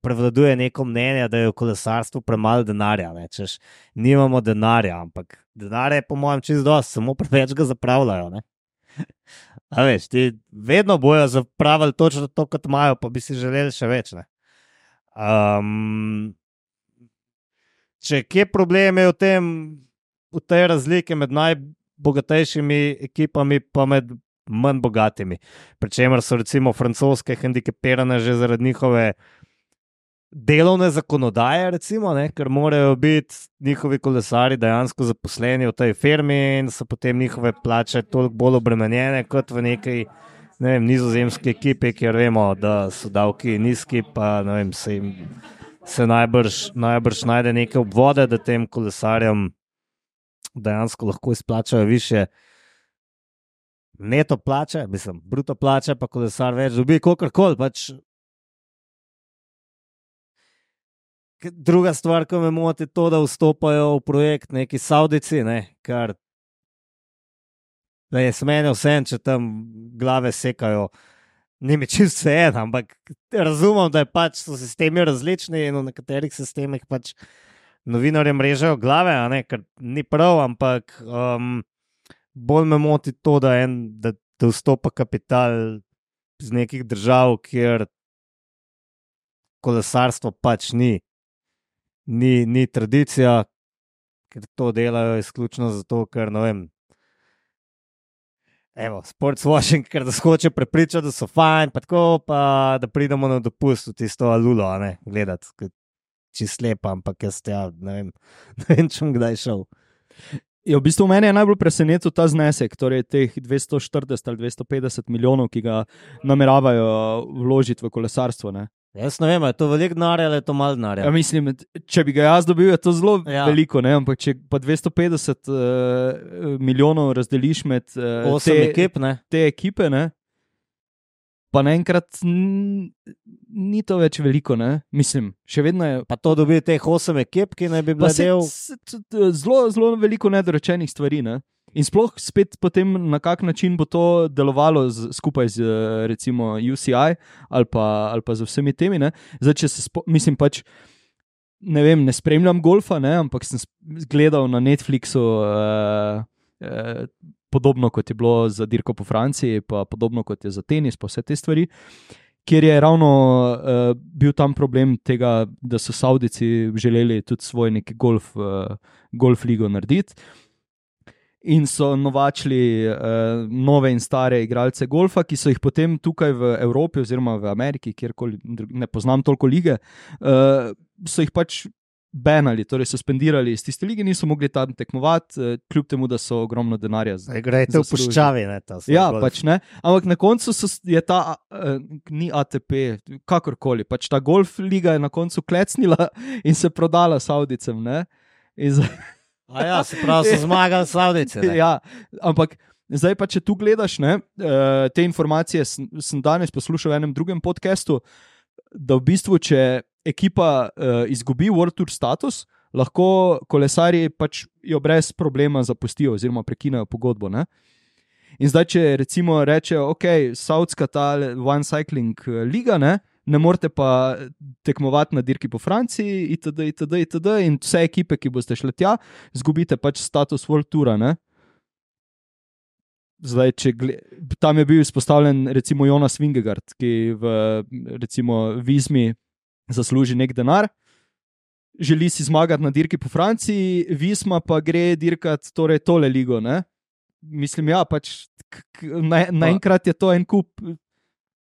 prevladuje neko mnenje, da je v kolesarstvu premalo denarja. Ne, češ, nimamo denarja, ampak denar je po mojem čisto dosti, samo preveč ga zapravljajo. Ne. A veš, ti vedno bojo zapravili točno to, kot imajo, pa bi si želeli še več. Ne. Um, če kje problem je v tem, v tej razliki med najbogatejšimi ekipami pa med manj bogatimi. Pričemer so recimo francoske hendikepirane že zaradi njihove delovne zakonodaje, recimo, ne, ker morajo biti njihovi kolesari dejansko zaposleni v tej firmi in so potem njihove plače toliko bolj obremenjene kot v nekaj, ne vem, nizozemski ekipi, kjer vemo, da so davki nizki, pa ne vem, se jim se najbrž, najbrž najde neke obvode, da tem kolesarjem dejansko lahko izplačajo više neto plače, mislim, bruto plače, pa kolesar več dobi, kakorkoli, pač. Druga stvar, ki me moti, je to, da vstopajo v projekt neki Saudici, ne, kar da je smene vse, če tam glave sekajo, ni mi čisto vse en, ampak razumem, da je pač so sistemi različni in v nekaterih sistemih pač novinarjem režejo glave, a ne, kar ni prav, ampak um, bolj me moti to, da, en, da, da vstopa kapital iz nekih držav, kjer kolesarstvo pač ni. Ni, ni tradicija, ker to delajo izključno zato, ker, ne vem, evo, sportswashing, ker da skoče prepričati, da so fajn, pa tako, pa da pridemo na dopust v tisto alulo, a ne, gledati, čist lepa, ampak jaz ja, ne vem, ne vem, če bom kdaj šel. Ja, v bistvu mene je najbolj presenetil ta znesek, torej teh dvesto štirideset ali dvesto petdeset milijonov, ki ga nameravajo vložiti v kolesarstvo, ne. Jaz ne vem, je to veliko denarja ali je to malo denarja? Ja, mislim, če bi ga jaz dobil, je to zelo ja. veliko, ne? Ampak če pa dvesto petdeset uh, milijonov razdeliš med uh, osem te, ekip, ne? te ekipe, ne? Pa naenkrat ni to več veliko, ne? Mislim, še vedno je... Pa to dobi teh osem ekip, ki naj bi bila del... Zelo, zelo veliko nedorečenih stvari, ne? In sploh spet potem na kak način bo to delovalo z, skupaj z recimo U C I ali pa, ali pa z vsemi temi, ne? Zdaj, če se spo, mislim pač, ne vem, ne spremljam golfa, ne? Ampak sem gledal na Netflixu uh, uh, podobno kot je bilo za dirko po Franciji, pa podobno kot je za tenis, pa vse te stvari, kjer je ravno uh, bil tam problem tega, da so Saudici želeli tudi svoj neki golf, uh, golf ligo narediti. In so novačili uh, nove in stare igralce golfa, ki so jih potem tukaj v Evropi oziroma v Ameriki, kjerkoli ne poznam toliko lige, uh, so jih pač benali, torej suspendirali iz tiste lige, niso mogli tam tekmovati, uh, kljub temu, da so ogromno denarja zaslužili. Grejte v puščavi, ne, ta Ja, golf. pač ne, ampak na koncu so, je ta, uh, ni A T P, kakorkoli, pač ta golf liga je na koncu klecnila in se prodala Saudicem, ne, in za... A ja, se pravi, so zmagali Savdice. ne? Ja, ampak zdaj pa, če tu gledaš, ne, eh, te informacije sem, sem danes poslušal v enem drugem podcastu, da v bistvu, če ekipa uh, izgubi World Tour status, lahko kolesarji pač jo brez problema zapustijo oziroma prekinejo pogodbo. Ne? In zdaj, če recimo rečejo, ok, Saudska ta One Cycling Liga, ne, ne morete pa tekmovati na dirki po Franciji, itd., itd., itd., in vse ekipe, ki boste šle tja, izgubite pač status World Toura. Ne? Zdaj, če gled... Tam je bil izpostavljen recimo Jonas Vingegaard, ki v recimo Vizmi zasluži nek denar, želi si zmagati na dirki po Franciji, Visma pa gre dirkati torej tole ligo. Ne? Mislim, ja, pač naenkrat na je to en kup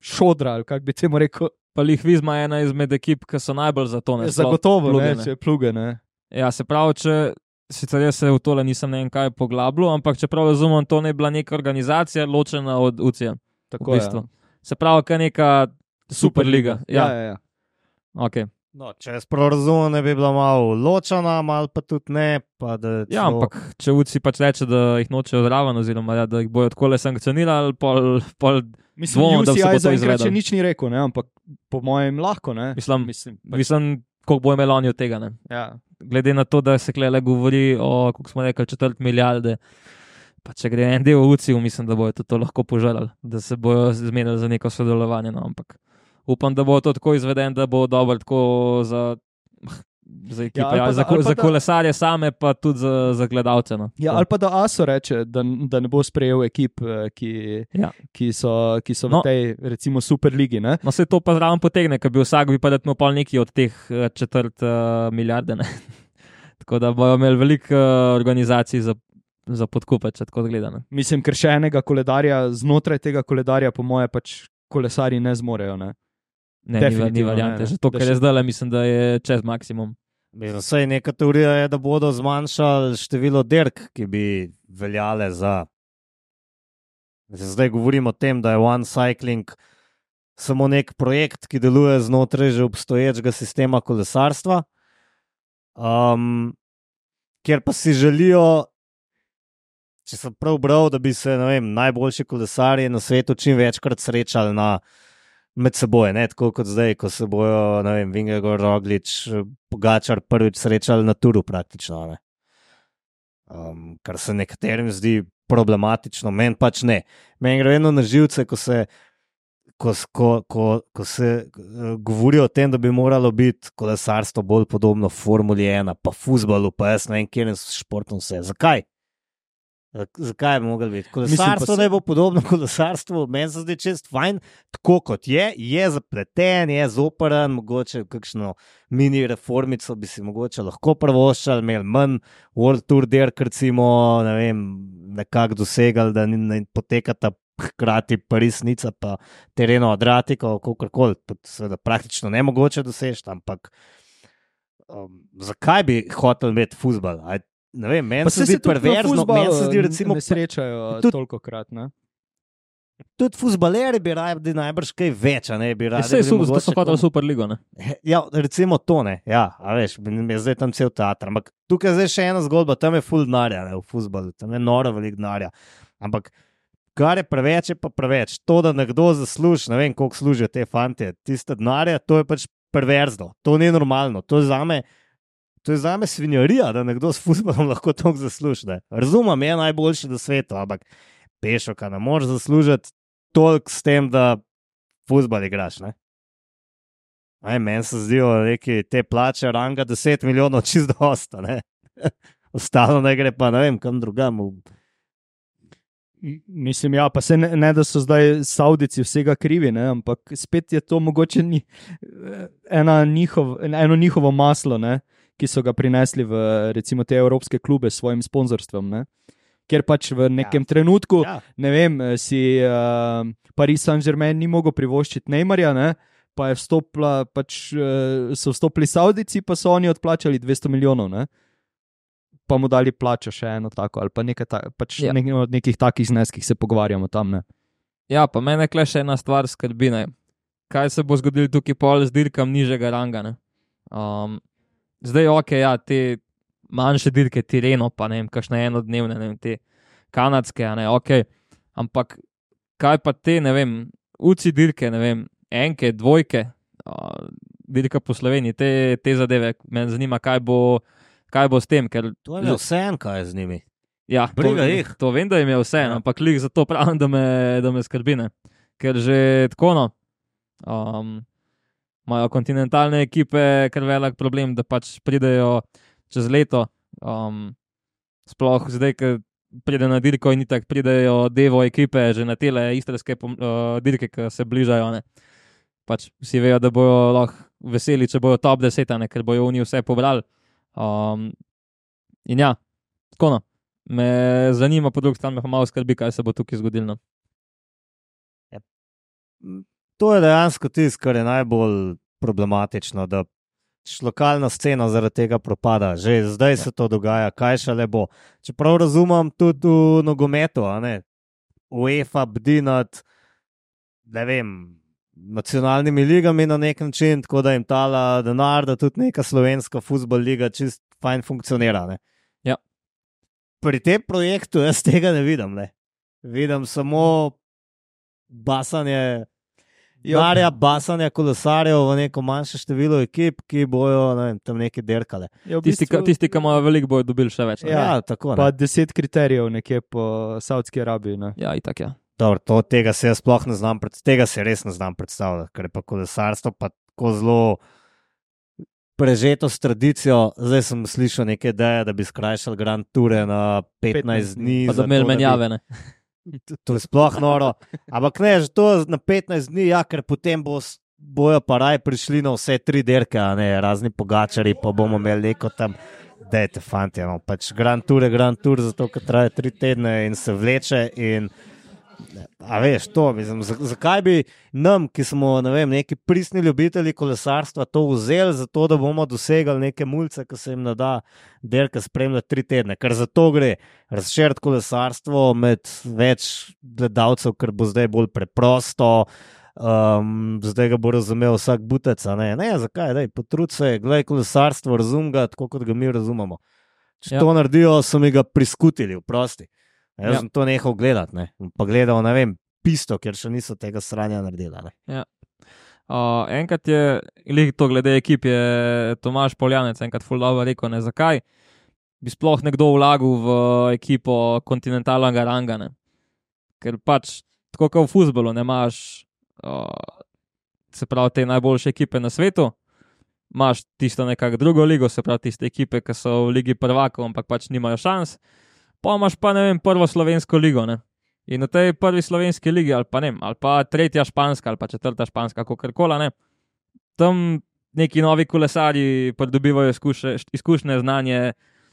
šodra, ali kako bi temu rekel. Pa lih Vizma je ena izmed ekip, ki so najbolj za to. Ne, Zagotovo, pluge, ne, ne. če pluge. Ne. Ja, se pravi, če sicer jaz se v tole nisem ne vem kaj poglabljal, ampak če prav razumem, to ne je bila neka organizacija ločena od U C I. Tako v bistvu. je. Se pravi, kaj neka Superliga. Ja, ja, ja. Okay. No, če jaz prav razumem, ne bi bila malo ločena, malo pa tudi ne. Pa da Ja, celo- ampak če U C I pač reče, da jih nočejo zraven, oziroma ja, da jih bojo takole sankcionirali, pol, pol Mislim, dvomim, da U C I se bo to zaenkrat še izvedlo. nič ni rekel, ne, ampak po mojem lahko. Ne. Mislim, Mislim, pač, mislim, koliko bo imel oni od tega. Ne? ja. Glede na to, da se klele govori o, kako smo rekli, četrt milijarde, pa če gre en del v U C I, mislim, da bojo to, to lahko požalali, da se bojo zmenili za neko sodelovanje. No, ampak upam, da bo to tako izveden, da bo dobro tako za, za ekipe, Ja, ali ja, pa za, da- ali pa za da- kolesarje same, pa tudi za, za gledalce. No. Ja, ali pa da ASO reče, da, da ne bo sprejel ekip, eh, ki, Ja. ki so, ki so No. v tej, recimo, Superligi. Ne? No, se to pa zraven potegne, ker bi vsak bi pa dal pol neki od teh eh, četrt uh, milijarde. Ne? Tako da bojo imeli veliko uh, organizacij za, za podkupe, če tako gledano. Mislim, ker še enega koledarja, znotraj tega koledarja, po moje, pač kolesari ne zmorejo. Ne? Ne, ni, va- ni Definitivno variante. ne, ne. Že to, Da kar še- je zdaj, mislim, da je čez maksimum. Mislim, saj neka teorija je, da bodo zmanjšali število dirk, ki bi veljale za. Mislim, zdaj govorimo o tem, da je One Cycling samo nek projekt, ki deluje znotraj že obstoječega sistema kolesarstva, um, kjer pa si želijo, če sem prav bral, da bi se ne vem, najboljši kolesarji na svetu čim večkrat srečali na med seboj, ne tako kot zdaj, ko se bojo, ne vem, Vingegaard, Roglič, Pogačar prvič srečali na turu praktično. Ne? Um, kar se nekaterim zdi problematično, meni pač ne. Meni gre vedno na živce, ko se, ko, s- ko, ko, ko se uh, govori o tem, da bi moralo biti kolesarstvo bolj podobno Formuli ena, pa fuzbalu, pa jaz ne vem, kjer je športom vse. Zakaj? Zak- Zakaj bi mogli biti? Kolesarstvo se- ne bo podobno kolesarstvu, meni se zdi čest fajn, tako kot je, je zapleten, je zoperen, mogoče kakšno mini reformico bi si mogoče lahko prvoščali, imeli manj World Tour dirk, recimo, ne vem, nekako dosegali, da ni- ne potekata hkrati Paris-Nica pa Tereno Adriatico, kakorkoli, to seveda praktično nemogoče doseči, ampak um, zakaj bi hotel imeti fuzbal? Aj, ne vem, meni Pa se saj zdi tudi na perverzno, fuzbalu meni se zdi recimo ne srečajo tudi- toliko krat. Ne? tudi fuzbaleri bi radi najbrž kaj več, a ne bi radi. Vse je bili super, zato mogoče so hoteli kom- Superligo. Ne? Ja, recimo to ne, ja, a veš, je zdaj tam cel teater, ampak tukaj je zdaj še ena zgodba, tam je full denarja, ne, v fuzbalu, tam je noro veliko denarja, ampak kar je preveč, je pa preveč. To, da nekdo zasluži, ne vem, koliko služijo te fantje, tiste denarja, to je pač perverzno, to ni normalno, to je zame, to je zame svinjarija, da nekdo s fuzbalom lahko toliko zasluži. ne. Razumem, je najboljši na svetu, ampak pešoka ne moreš zaslužiti toliko s tem, da fuzbal igraš, ne. Aj, meni se zdijo neki te plače ranga deset milijonov čist dosta, ne. Ostalo ne gre pa, ne vem, kam drugam. M- Mislim, ja, pa se ne, ne, da so zdaj Saudici vsega krivi, ne, ampak spet je to mogoče ni, ena njihov, eno njihovo maslo, ne, ki so ga prinesli v recimo te evropske klube s svojim sponzorstvom. Ne. Ker pač v nekem ja. trenutku, ja. Ja, ne vem, si uh, Paris Saint-Germain ni mogel privoščiti Neymarja, ne, pa je vstopila, pač, uh, so vstopili Saudici, pa so oni odplačali dvesto milijonov. Ne. Pa mu dali plačo še eno tako, ali pa nekaj ta, pač Ja. ja. nek, o nekih takih zneskih se pogovarjamo tam. Ne. Ja, pa mene kle še ena stvar skrbi. Ne? Kaj se bo zgodilo tukaj pol z dirkam nižjega ranga? Ne? Um, zdaj, ok, ja, te manjše dirke, Tireno, pa ne vem, kakšne enodnevne, ne vem, te kanadske, a ne, ok. Ampak kaj pa te, ne vem, uci dirke, ne vem, enke, dvojke, uh, dirka po Sloveniji, te, te zadeve, me zanima, kaj bo, kaj bo s tem, ker... To je vse en, kaj je z njimi. Ja, to, to vem, da jim je vse, ja. Ampak lih zato pravim, da me, da me skrbi, ne. Ker že tako, no, um, imajo kontinentalne ekipe kar velik problem, da pač pridejo čez leto, um, sploh zdaj, ker pride na dirko in itak pridejo devo ekipe že na tele istrske uh, dirke, ki se bližajo, ne. Pač vsi vejo, da bojo lahko veseli, če bojo top deset, ne, ker bojo oni vse pobrali. Um, in ja, tako no, me zanima po drugi strani, me malo skrbi, kaj se bo tukaj zgodilo. Ja. To je dejansko tisto, kar je najbolj problematično, da lokalna scena zaradi tega propada. Že zdaj se to dogaja, kaj šele bo. Čeprav razumem tudi v nogometu, a ne, UEFA bdi nad, ne vem, nacionalnimi ligami na nek način, tako da jim tala denar, da tudi neka slovenska fuzbol liga čist fajn funkcionira, ne. Ja. Pri tem projektu jaz tega ne vidim, ne. Vidim samo basanje Darja, basanja kolesarjev v neko manjše število ekip, ki bojo, ne vem, tam neki derkale. Ja, v Tisti, bistvu, ki tisti, bojo veliko, bojo dobili še več. Ne? Ja, tako, ne. pa deset kriterijev nekje po Saudski Arabiji. Ne? Ja, itak, ja. Dobro, to, tega se jaz sploh ne znam, pred, tega se res ne znam predstavljati, ker je pa kolesarstvo pa tako zelo prežeto s tradicijo. Zdaj sem slišal neke ideje, da bi skrajšali Grand Toure na petnajst dni. Pa da imeli menjave, ne. To je sploh noro. Ampak ne, že to na petnajst dni, ja, ker potem bo, bojo pa raj prišli na vse tri derke, a ne, razni pogačari, pa bomo imeli neko tam, dajte fanti, no, pač Grand Tour je Grand Tour, zato ker traje tri tedne in se vleče in a veš, to, mislim, zakaj bi nam, ki smo, ne vem, neki pristni ljubitelji kolesarstva, to vzeli, zato da bomo dosegali neke mulce, ki se jim nada derka spremljati tri tedne, ker za to gre, razširiti kolesarstvo med več gledalcev, ker bo zdaj bolj preprosto, um, zdaj ga bo razumel vsak butec, a ne, ne, zakaj, daj, potrud se, gledaj kolesarstvo, razum ga, tako kot ga mi razumemo. Če ja. To naredijo, so mi ga priskutili, vprosti. Jaz ja. sem to nehal gledati, ne? Pa gledal, ne vem, pisto, ker še niso tega sranja naredila. Ja. Uh, enkrat je, lih to glede ekip, je Tomaž Poljanec enkrat ful dobro rekel, ne, zakaj bi sploh nekdo vlagal v ekipo kontinentalnega ranga, ne. Ker pač, tako kot v fuzbolu, ne imaš, uh, se pravi, te najboljše ekipe na svetu, imaš tisto nekako drugo ligo, se pravi, tiste ekipe, ki so v ligi prvakov, ampak pač nimajo šans. Pa imaš pa, ne vem, prvo slovensko ligo, ne. In v tej prvi slovenski ligi, ali pa ne, ali pa tretja španska, ali pa četrta španska, kakorkola, ne. Tam neki novi kolesarji pridobivajo izkušnje, izkušnje, znanje,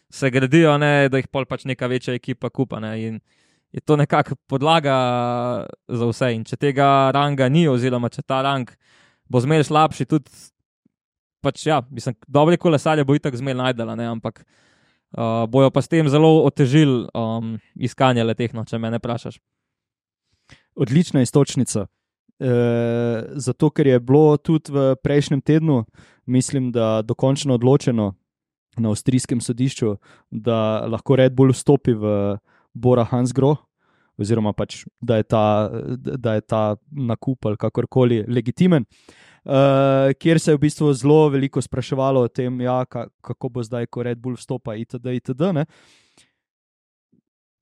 se gradijo, ne, da jih pol pač neka večja ekipa kupa, ne. In je to nekako podlaga za vse. In če tega ranga ni, oziroma če ta rang bo zmeraj slabši, tudi pač ja, mislim, dobri kolesarji bo itak zmeraj najdela, ne, ampak Uh, bojo pa s tem zelo otežili um, iskanje leteh, no, če me ne vprašaš. Odlična istočnica. E, zato, ker je bilo tudi v prejšnjem tednu, mislim, da dokončno odločeno na avstrijskem sodišču, da lahko Red Bull vstopi v Bora Hansgrohe, oziroma pač, da je ta, da je ta nakup ali kakorkoli legitimen. Uh, kjer se je v bistvu zelo veliko spraševalo o tem, ja, kako bo zdaj, ko Red Bull vstopa itd. itd. Ne?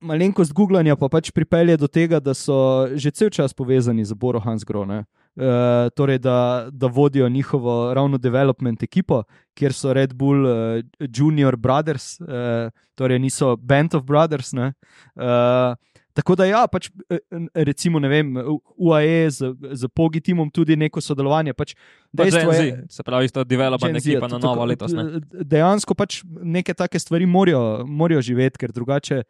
Malenkost googlanja pa pač pripelje do tega, da so že cel čas povezani z Boro Hansgrohe, uh, torej da, da vodijo njihovo ravno development ekipo, kjer so Red Bull uh, Junior Brothers, uh, torej niso Band of Brothers, ne? Uh, Tako da ja, pač recimo, ne vem, U A E z, z Pogi timom tudi neko sodelovanje. Pač dejstvo je, se pravi, isto development ekipa na novo letos. Ne? Dejansko pač neke take stvari morajo, morajo živeti, ker drugače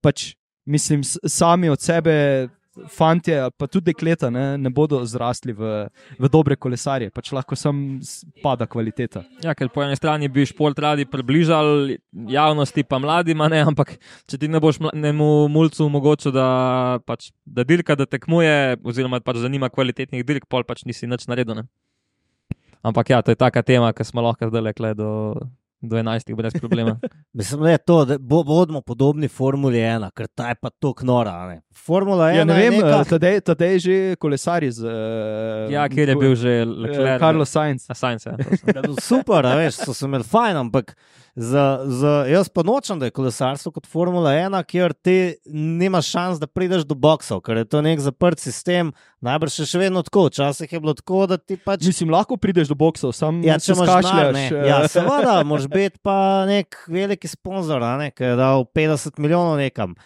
pač, mislim, sami od sebe fantje, pa tudi dekleta, ne, ne bodo zrasli v, v dobre kolesarje, pač lahko sam pada kvaliteta. Ja, ker po eni strani bi šport radi približali javnosti pa mladima, ne, ampak če ti ne boš mlademu mulcu omogočil, da, pač, da dirka, da tekmuje, oziroma pač zanima kvalitetnih dirk, pol pač nisi nič naredil. Ne. Ampak ja, to je taka tema, ki smo lahko zdaj lekle do do enajstih brez problema. Mislim, da je to, da bo, bodimo podobni Formuli ena, ker ta je pa tako nora. Ne? Formula ena Ja, ne vem, je neka... tadej, tadej že kolesari z... Uh, Ja, kjer je bil že Leclerc. Carlos Sainz. A, Sainz, ja. Super, a veš, so se imeli fajn, ampak za, za, jaz pa nočem, da je kolesarstvo kot Formula ena, kjer ti nimaš šans, da prideš do boksov, ker je to nek zaprt sistem, najbrž je še vedno tako, včasih je bilo tako, da ti pač... Mislim, lahko prideš do boksov, sam Ja, se če imaš denar, skašljaš. ne. eh. Ja, seveda, moraš biti pa nek veliki sponzor, a ne, ki je dal petdeset milijonov nekam.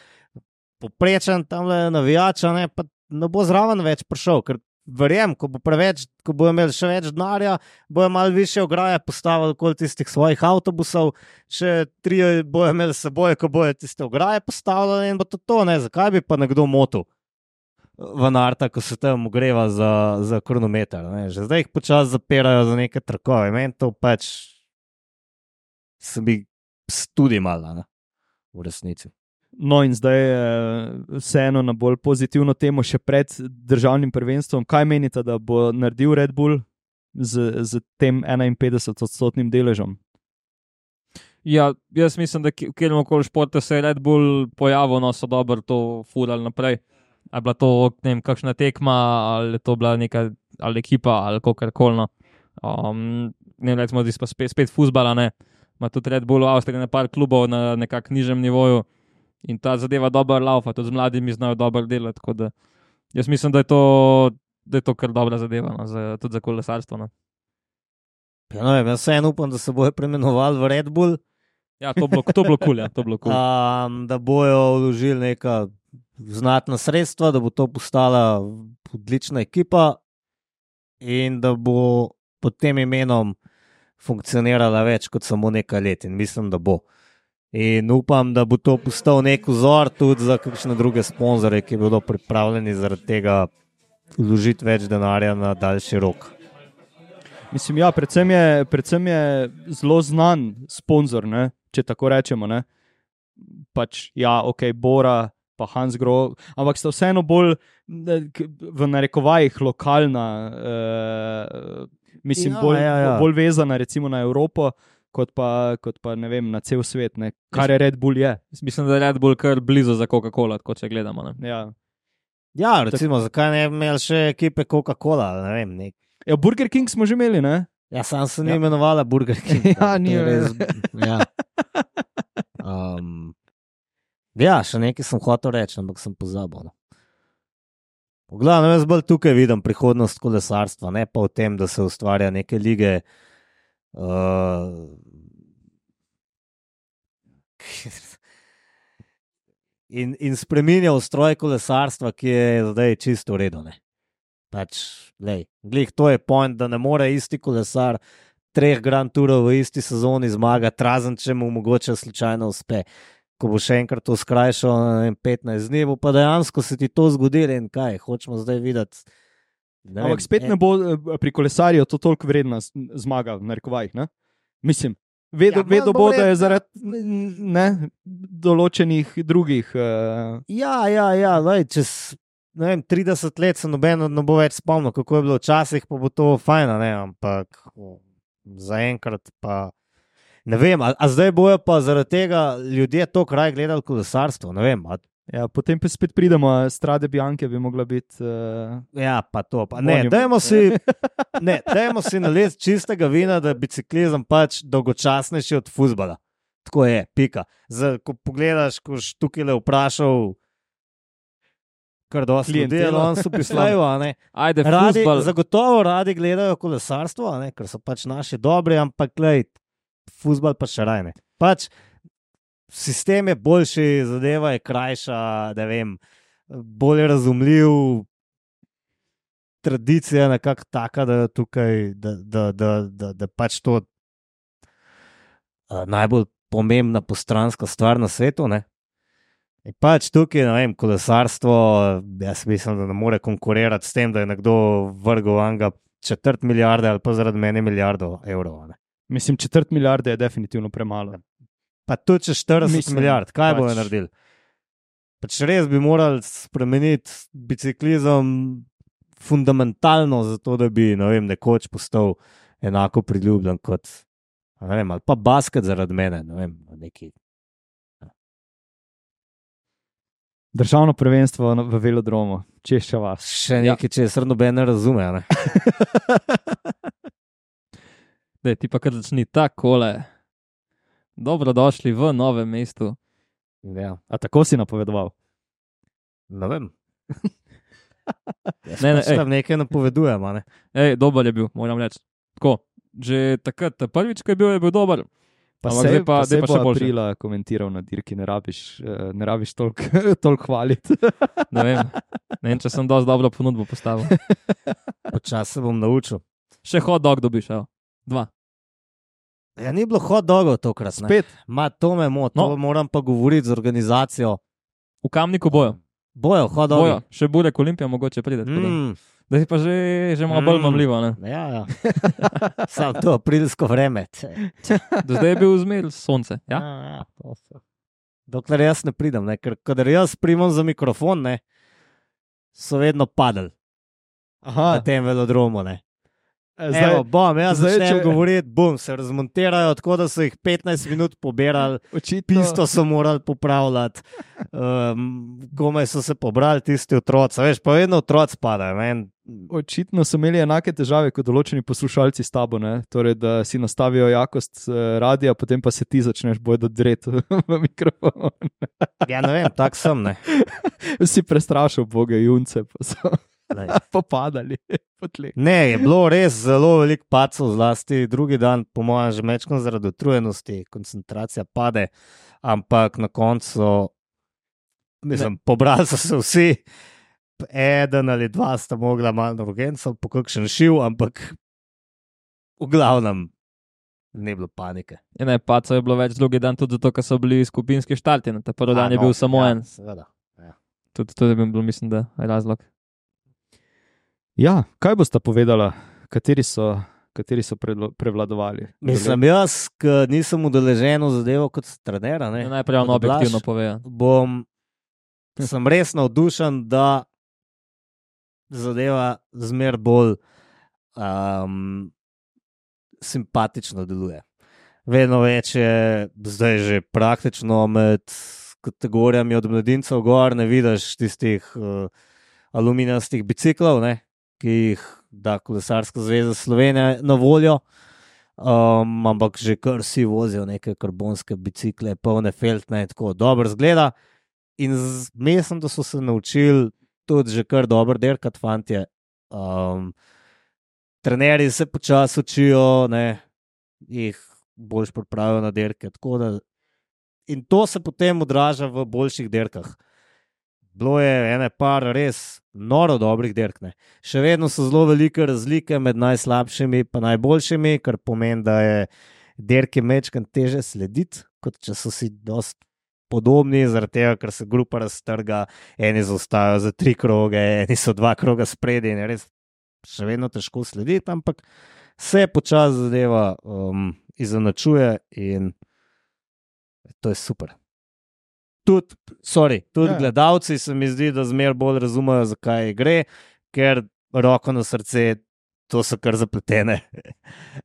Poprečen tamle navijača, ne, pa ne bo zraven več prišel, ker verjem, ko bo preveč, ko bo imel še več denarja, bojo malo više ograje postavili okoli tistih svojih avtobusov, še tri bojo imeli s seboj, ko bojo tiste ograje postavljali in bo to to, ne, zakaj bi pa nekdo motil Van Arta, ko se tam ogreva za, za kronometer, ne, že zdaj jih počasi zapirajo za neke trakove, meni to pač se bi tudi malo, ne, v resnici. No in zdaj eh, vseeno na bolj pozitivno temo še pred državnim prvenstvom. Kaj menite, da bo naredil Red Bull z, z tem enainpetdeset odstotnim deležem? Ja, jaz mislim, da v katerem koli športu se je Red Bull pojavil, no so dobro to furali naprej. Ali je bila to, ne vem, kakšna tekma, ali je to bila neka ali ekipa, ali kakorkoli. No. Um, ne vem, recimo, da je spet, spet fuzbala, ne. Ima tudi Red Bull v Avstriji nekaj klubov na nekak nižjem nivoju. In ta zadeva dobro laufa, tudi z mladimi znajo dobro delati. Tako da jaz mislim, da je to, da je to kar dobra zadeva, no, za, tudi za kolesarstvo. No. Ja, no, jaz vseeno upam, da se bojo preimenovali v Red Bull, Ja, to bo to bilo kul, ja, to bilo kul. um, da bojo vložili neka znatna sredstva, da bo to postala odlična ekipa in da bo pod tem imenom funkcionirala več kot samo nekaj let. In mislim, da bo. In upam, da bo to postal nek vzor tudi za kakšne druge sponzorje, ki bodo pripravljeni zaradi tega vložiti več denarja na daljši rok. Mislim, ja, predvsem je, predvsem je zelo znan sponzor, ne, če tako rečemo. Ne. Pač, ja, ok, Bora, pa Hans Grohe, ampak sta vseeno bolj v narekovajih lokalna, uh, mislim, Ja, bolj, ja, ja. bolj vezana recimo na Evropo, kot pa, kot pa ne vem, na cel svet, ne, kar je Red Bull je. Mislim, da je Red Bull kar blizu za Coca-Cola, tako če gledamo. Ne. Ja. Ja, recimo, zakaj ne bi imeli še ekipe Coca-Cola, ne vem, nek. Ja, Burger King smo že imeli, ne? Ja, sam se ni Ja. imenovala Burger King. Ja, To ni je res. Ja. Um, ja, še nekaj sem hotel reči, ampak sem pozabil. No. V glavnem, jaz bolj tukaj vidim prihodnost kolesarstva, ne pa v tem, da se ustvarja neke lige. Uh, in, in spreminja ustroj kolesarstva, ki je zdaj čisto v redu. Ne. Pač, lej, glih, to je point, da ne more isti kolesar treh Grand Tourov v isti sezoni zmagati, razen če mu mogoče slučajno uspe. Ko bo še enkrat to skrajšal na petnajst dni, bo pa dejansko se ti to zgodilo in kaj, hočemo zdaj videti. Ne Ampak vem, spet ne bo eh, pri kolesarju to toliko vredna z- zmaga, v narekovajih, ne? Mislim, vedo, Ja, vedo manj bo bo, da je vredna. zaradi ne, določenih drugih. Uh, Ja, ja, ja, lej, čez ne vem, trideset let se noben ne bo več spomnil, kako je bilo včasih, pa bo to fajn, ne, ampak o, zaenkrat pa ne vem, a, a zdaj bojo pa zaradi tega ljudje to kraj gledali kolesarstvo, ne vem, a, ja, potem pa spet pridemo, Strade Bianche bi mogla biti. Uh, ja, pa to, pa ne, Monument. dajmo si, ne, dajmo si naliti čistega vina, da je biciklizem pač dolgočasnejši od fuzbala. Tako je, pika. Zdaj, ko pogledaš, ko si tukaj le vprašal, kar dosti ljudi, Klientelo. on so pislajo, a ne. Ajde, Radi, fuzbal. zagotovo radi gledajo kolesarstvo, a ne, ker so pač naši dobri, ampak glej, fuzbal pa še rajne. Pač sistem je boljši, zadeva je krajša, ne vem, bolj razumljiv, tradicija je nekako taka, da je tukaj, da, da, da, da, da pač to uh, najbolj pomembna postranska stvar na svetu, ne. In pač tukaj, ne vem, kolesarstvo, jaz mislim, da ne more konkurirati s tem, da je nekdo vrgel anga četrt milijarde ali pa zaradi mene milijardo evrov. Ne. mislim, četrt milijarde je definitivno premalo. Pa tudi če štirideset Mislim, milijard, kaj pač- bojo naredili? Pač res bi morali spremeniti biciklizem fundamentalno, zato da bi, ne vem, nekoč postal enako priljubljen kot Ne vem, ali pa basket zaradi mene, ne vem, neki. Državno prvenstvo na- v velodromu, Češča vas. Še nekaj, če se noben ne razume. a Ne? Dej, ti pa kar začni takole. Dobrodošli v novem mestu. Ja, A tako si napovedoval? ne vem. Jaz Ne, ne, pač ej. tam nekaj napovedujem. a Ne? Ej, dober je bil, moram reči. Tako, že takrat, ta prvič, ko je bil, je bil dober. Pa Ampak se zdaj pa- pa, zdaj se pa bo še boljše. aprila komentiral na dirki, ne rabiš, eh, ne rabiš toliko toliko hvaliti. Ne vem, ne vem, če sem dosti dobro ponudbo postavil. Počasi se bom naučil. Še hot dog dobiš, evo. Dva. Ja, ni bilo hot dogov tokrat. ne. Spet. Ma, to me moti, No. to moram pa govoriti z organizacijo. V Kamniku bojo. Bojo, hot dogi. Bojo. Še Burek Olimpija mogoče pride. tako Da, Mm, da je pa že, že malo bolj Mm. mamljivo. Ne? ja, ja. Sam to aprilsko vreme. Do zdaj je bil zmer sonce. Ja? Ja, ja, to so. Dokler jaz ne pridem, ne? Ker kadar jaz primam za mikrofon, ne, so vedno padali na Aha, tem velodromu. Ne. zdaj, Evo, bom, jaz zdaj, začnem če- govoriti, bum, se razmontirajo, tako da so jih petnajst minut pobirali, očitno, pisto so morali popravljati, um, komaj so se pobrali tisti otroci, veš, pa vedno otroci padajo. Men. očitno so imeli enake težave kot določeni poslušalci s tabo, ne? Torej, da si nastavijo jakost eh, radia, potem pa se ti začneš bojda dreti v mikrofon. Ja, ne vem, tak sem, ne. Si prestrašil boge junce, pa so Lej. popadali po tleh. Ne, je bilo res zelo veliko pacov, zlasti drugi dan, po mojem, že mečkam zaradi utrujenosti, koncentracija pade, ampak na koncu, mislim, pobrali so se vsi, eden ali dva sta mogla malo na urgenco, po kakšen šiv, ampak v glavnem ni bilo panike. Ja, ne, paco je bilo več drugi dan, tudi zato, ker so bili skupinski štarti. Ta prvi dan A, je no, bil samo ja, en. Seveda. Ja. Tudi to je bil, mislim, da razlog. Ja, kaj boste povedala, kateri so, kateri so predlo- prevladovali? Mislim, jaz, ki nisem udeležen v zadevo kot trener, ne, Ja, najprej on kot Blaž, objektivno povejo. bom, sem res navdušen, da zadeva zmer bolj um, simpatično deluje. Vedno več je zdaj že praktično med kategorijami od mladincev gor, ne vidiš tistih uh, aluminijastih biciklov, ne, ki jih da Kolesarska zveza Slovenije na voljo. Um, ampak že kar vsi vozijo neke karbonske bicikle, polne feltne, tako dobro zgleda. In z- mislim, da so se naučili tudi že kar dobro derkati, fantje. Um, trenerji se počasi učijo, ne, jih boljš pripravijo na derke. tako da- In to se potem odraža v boljših derkah. Bilo je ene par res noro dobrih derk. Ne. Še vedno so zelo velike razlike med najslabšimi in najboljšimi, kar pomeni, da je derke mečkan teže slediti, kot če so si dost podobni, zaradi tega, ker se grupa raztrga, eni zaustajajo za tri kroge, eni so dva kroga spredi in je res še vedno težko slediti, ampak se počasi zadeva um, izenačuje in to je super. Tudi, sorry, tudi Ja. ja. gledalci se mi zdi, da zmer bolj razumejo, zakaj gre, ker roko na srce, to so kar zapletene,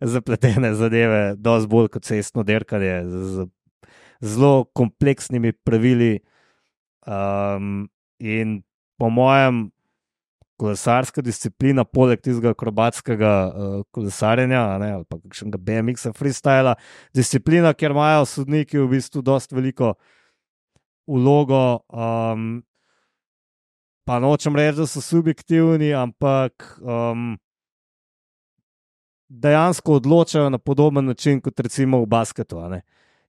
zapletene zadeve, dosti bolj kot cestno derkanje, z, z zelo kompleksnimi pravili. Um, in po mojem, kolesarska disciplina, poleg tistega akrobatskega uh, kolesarjenja, a ne, ali pa kakšnega B M X-a, freestyla, disciplina, kjer imajo sodniki v bistvu dosti veliko vlogo. Um, pa nočem reči, da so subjektivni, ampak um, dejansko odločajo na podoben način kot recimo v basketu. a ne.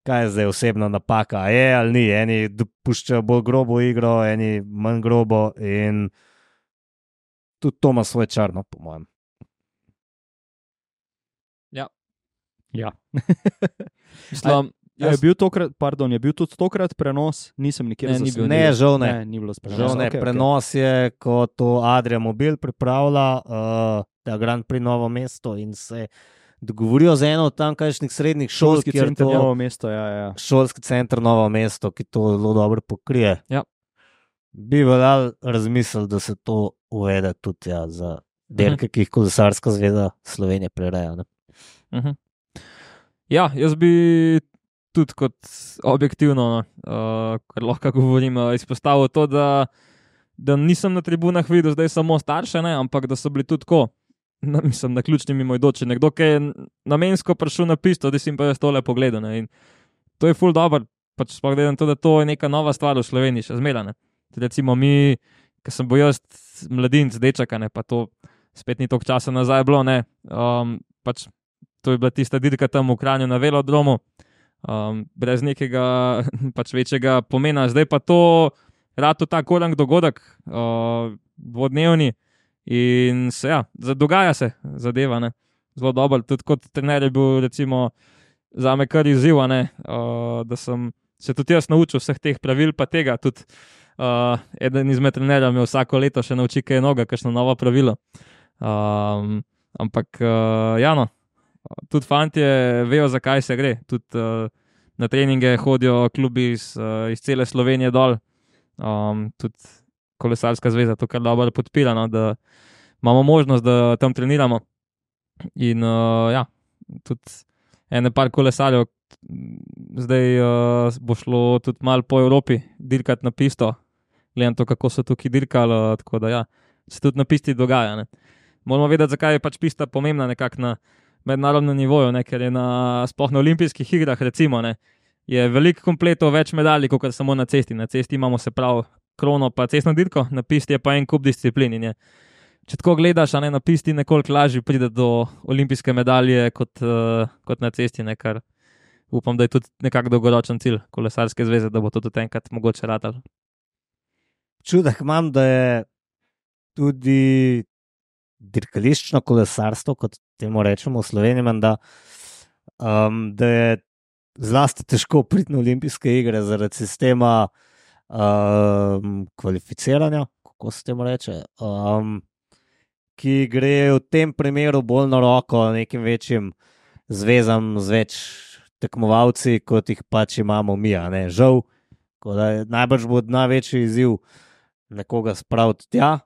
Kaj je zdaj osebna napaka? A je ali ni? Eni dopuščajo bolj grobo igro, eni manj grobo in tudi to ima svoj čar, no, po mojem. Ja. Mislim, Je bil, tokrat, pardon, je bil tudi tokrat prenos, nisem nikjer Ne, ni bil. zasledil. Ne, žal ne. Ne, ni bilo prenosa. Žal ne, Okej, okej. prenos je, ko to Adria Mobil pripravlja, uh, ta Grand Prix Novo mesto in se dogovorijo z eno od tamkajšnjih srednjih šol, Šolski kjer center to- Novo mesto, ja, ja. Šolski center Novo mesto, ki to zelo dobro pokrije. Ja. Bi veljal razmisliti, da se to uvede tudi ja, za derke, ki jih Kolesarska zveza Slovenije prireja. Ne? uh -huh. Ja, jaz bi tudi kot objektivno, uh, kar lahko govorim, uh, izpostavil to, da, da nisem na tribunah videl zdaj samo starše, ne, ampak da so bili tudi tako, na, mislim, na ključni mimoidoči. Nekdo, ki je namensko prišel na pisto, da si jim pa jaz tole pogledal. Ne, in to je ful dobro, pač sploh gledam to, da to je neka nova stvar v Sloveniji, še zmeraj. Recimo mi, ki sem bil jaz mladinc, dečaka, ne, pa to spet ni toliko časa nazaj bilo, ne, um, pač to je bila tista dirka tam v Kranju na velodromu, um, brez nekega pač večjega pomena. Zdaj pa to rado tak orang dogodek, uh, dvodnevni in se, ja, dogaja se zadeva, ne, zelo dobro. Tudi kot trener je bil recimo zame kar izziv, ne, uh, da sem se tudi jaz naučil vseh teh pravil, pa tega tudi uh, eden izmed trenerjev me vsako leto še nauči, kaj je noga, kakšno novo pravilo. Um, ampak, uh, ja no, tudi fantje vejo, zakaj se gre. Tudi uh, na treninge hodijo klubi iz, uh, iz cele Slovenije dol. Um, tudi kolesarska zveza to kar dobro podpira, no, da imamo možnost, da tam treniramo. In uh, ja, tudi ene par kolesarjev zdaj uh, bo šlo tudi malo po Evropi dirkati na pisto. Gledam to, kako so tukaj dirkali, tako da ja, se tudi na pisti dogaja, ne. Moramo vedeti, zakaj je pač pista pomembna nekako na mednarodnem nivoju, ne, ker je na, sploh na olimpijskih igrah recimo, ne, je veliko kompletov več medalj, kot samo na cesti. Na cesti imamo se prav krono pa cestno dirko, na pisti je pa en kup disciplin in je, če tako gledaš, a ne, na pisti nekoliko lažje pride do olimpijske medalje kot, uh, kot na cesti, ne, kar upam, da je tudi nekak dolgoročen cilj kolesarske zveze, da bo to tudi enkrat mogoče ratalo. Čudek imam, da je tudi dirkališčno kolesarstvo, kot temu rečemo v Sloveniji, da, um, da je zlasti težko priti na olimpijske igre zaradi sistema um, kvalificiranja, kako se temu reče, um, ki gre v tem primeru bolj na roko nekim večjim zvezam z več tekmovalci, kot jih pač imamo mi, a ne, žal, da je najbrž bo največji izziv nekoga spraviti tja.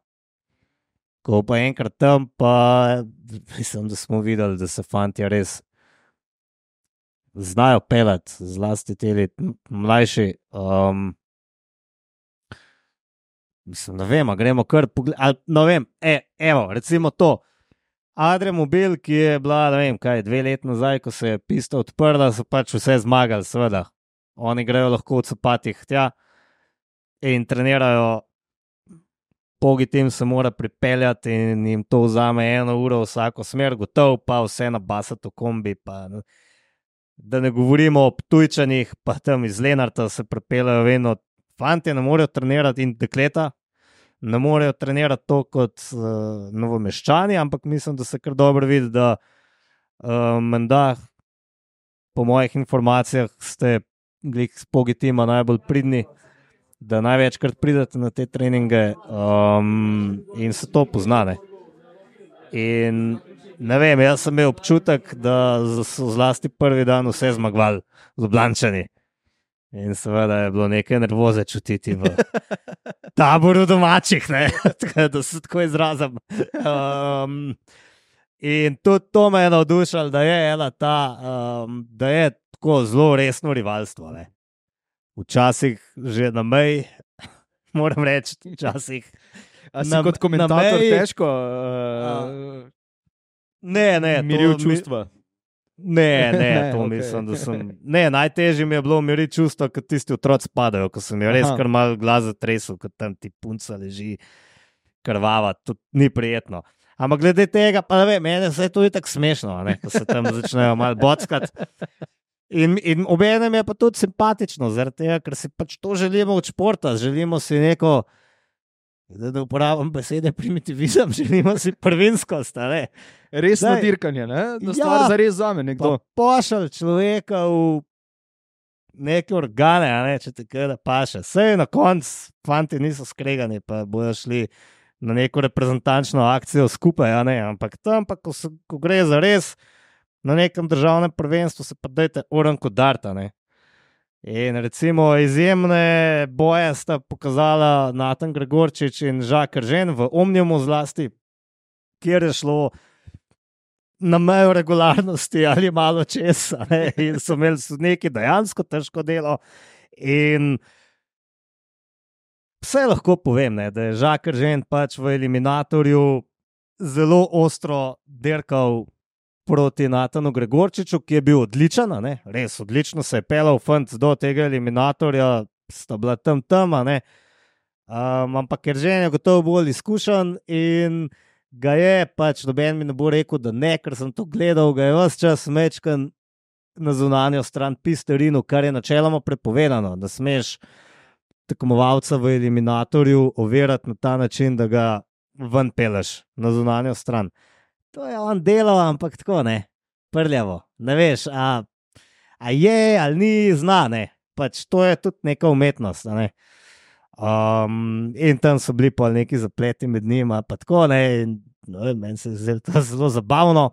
Ko pa enkrat tam, pa mislim, da smo videli, da se fantje res znajo pelati, zlasti te mlajši. Um, mislim, ne vem, gremo kar pogledati. Ne vem, e, evo, recimo to. Adremobil, ki je bila, ne vem, kaj, dve leti nazaj, ko se je pista odprla, so pač vse zmagali, seveda. Oni grejo lahko v cepatih tja in trenirajo. Pogi tim se mora pripeljati in jim to vzame eno uro vsako smer, gotov, pa vse nabasati v kombi. Pa, da ne govorimo o Ptujčanih, pa tam iz Lenarta se pripeljajo vedno. Fantje ne morejo trenirati in dekleta ne morejo trenirati to kot uh, Novomeščani, ampak mislim, da se kar dobro vidi, da uh, menda, po mojih informacijah, ste glik s pogi tima najbolj pridni, da največkrat pridete na te treninge um, in se to poznane. In ne vem, jaz sem imel občutek, da so zlasti prvi dan vse zmagovali Ljubljančani. In seveda je bilo nekaj nervoze čutiti v taboru domačih, ne, da se tako izrazim. Um, in tudi to me je navdušalo, da je ena ta, um, da je tako zelo resno rivalstvo, ne. Včasih že na meji, moram reči, včasih. A si na, kot komentator meji, težko uh, ne, ne, miril čustva? Ne, ne, to okay. Mislim, da sem... Ne, najtežje mi je bilo miriti čustva, kot tisti otroci spadajo, ko sem jo res kar malo glas zatresel, kot tam ti punca leži krvava, to ni prijetno. Ampak glede tega, pa ne vem, mene se je to itak smešno, ne, ko se tam začnejo malo bockati. In, in obenem je pa tudi simpatično, zaradi tega, ker si pač to želimo od športa, želimo si neko, da uporabim besede primitivizem, želimo si prvinskost, ne. Resno Daj, dirkanje, ne? Da stvar ja, zares zame nekdo. Pošalj človeka v neke organe, ne, če te kada paše. Sej na konc, fanti niso skregani, pa bojo šli na neko reprezentančno akcijo skupaj, a ne, ampak tam pa, ko, se, ko gre za res, na nekem državnem prvenstvu se pa dajte oranko darta, ne. In recimo izjemne boje sta pokazala Natan Gregorčič in Žak Eržen v Omniumu zlasti, kjer je šlo na mejo regularnosti ali malo česa. Ne? In so imeli sodniki dejansko težko delo. In vse lahko povem, ne, da je Žakar Žen pač v eliminatorju zelo ostro derkal proti Natanu Gregorčiču, ki je bil odličen, ne, res odlično se je pelal fant do tega eliminatorja, sta bila tam tema, ne. Um, ampak ker Žen je gotovo bolj izkušen in ga je pač, noben mi ne bo rekel, da ne, ker sem to gledal, ga je ves čas mečkan na zunanjo stran pisterinu, kar je načeloma prepovedano, da smeš tekmovalca v eliminatorju overati na ta način, da ga ven peleš na zunanjo stran. To je on delal, ampak tako ne, prljavo, ne veš, a, a je ali ni, zna, ne, pač to je tudi neka umetnost, ne. Um, in tam so bili pa neki zapleti med njima, pa tako ne, in no, meni se je to zelo zabavno.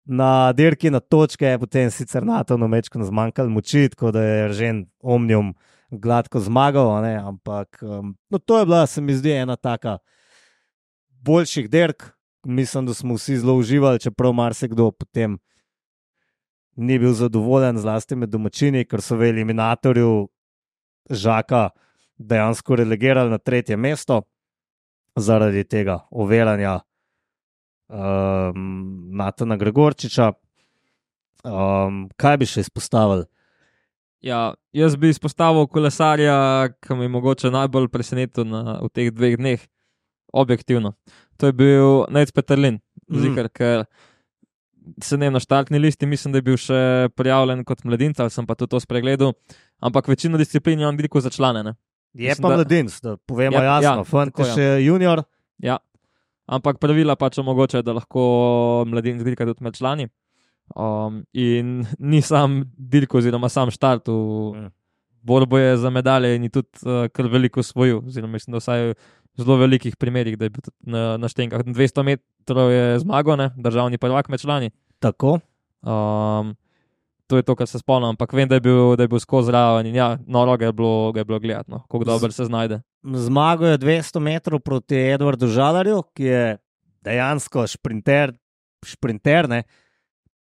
Na dirki na točke je potem sicer Natanu mečkano zmanjkalo moči, tako da je Eržen Omnium gladko zmagal, ne, ampak um, no, to je bila, se mi zdi, ena taka boljših dirk. Mislim, da smo vsi zelo uživali, čeprav marsikdo potem ni bil zadovoljen, zlasti med domačini, ker so v eliminatorju Žaka dejansko relegirali na tretje mesto zaradi tega overanja um, Natana Gregorčiča. Um, kaj bi še izpostavili? Ja, jaz bi izpostavil kolesarja, ki mi je mogoče najbolj presenetil na, v teh dveh dneh, objektivno. To je bil Nejc Peterlin, mm. zikar, ker se ne na štartni listi, mislim, da je bil še prijavljen kot mladinca, ali sem pa tudi to spregledal, ampak večino disciplin je on dirkal za člane, ne? Je mislim, pa mladinc, da povemo ja, jasno, ja, fant je še junior. Ja, ampak pravila pač omogočajo, da lahko mladinc dirka tudi med člani. Um, in ni sam dirko oziroma sam štart v mm. borbo je za medalje in je tudi uh, kar veliko osvojil, oziroma mislim, da vsaj v zelo velikih primerih, da je bil na, na štenkah. dvesto metrov je zmagal, ne, državni prvak med člani. Tako. Um, to je to, kar se spomnim, ampak vem, da je bil, da je bil skozi raven in ja, noro ga je bilo, ga je bilo gledati, no, kako dobro se znajde. Zmagal je dvesto metrov proti Edvardu Žalarju, ki je dejansko šprinter, šprinter, ne.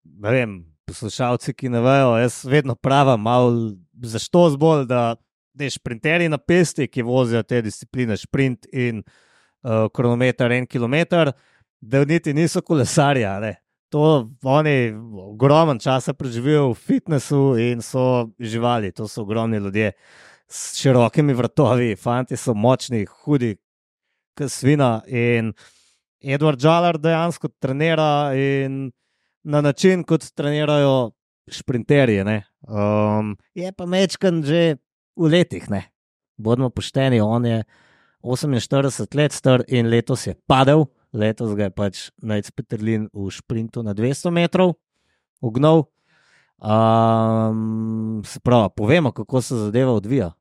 Ne vem, poslušalci, ki ne vejo, jaz vedno pravim, malo zašto zbolj, da te šprinterji na pesti, ki vozijo te discipline, šprint in uh, kronometer en kilometer, da niti niso kolesarja, ne. To oni ogromen časa preživijo v fitnessu in so živali, to so ogromni ljudje s širokimi vratovi, fanti so močni, hudi, kot svina in Edvard Žalar dejansko trenira in na način, kot trenirajo šprinterji, ne. Um, je pa mečkan že v letih, ne. Bodimo pošteni, on je oseminštirideset let star in letos je padel, letos ga je pač Nejc Peterlin v šprintu na dvesto metrov ugnal. Um, se pravi, povemo, kako se zadeva odvija.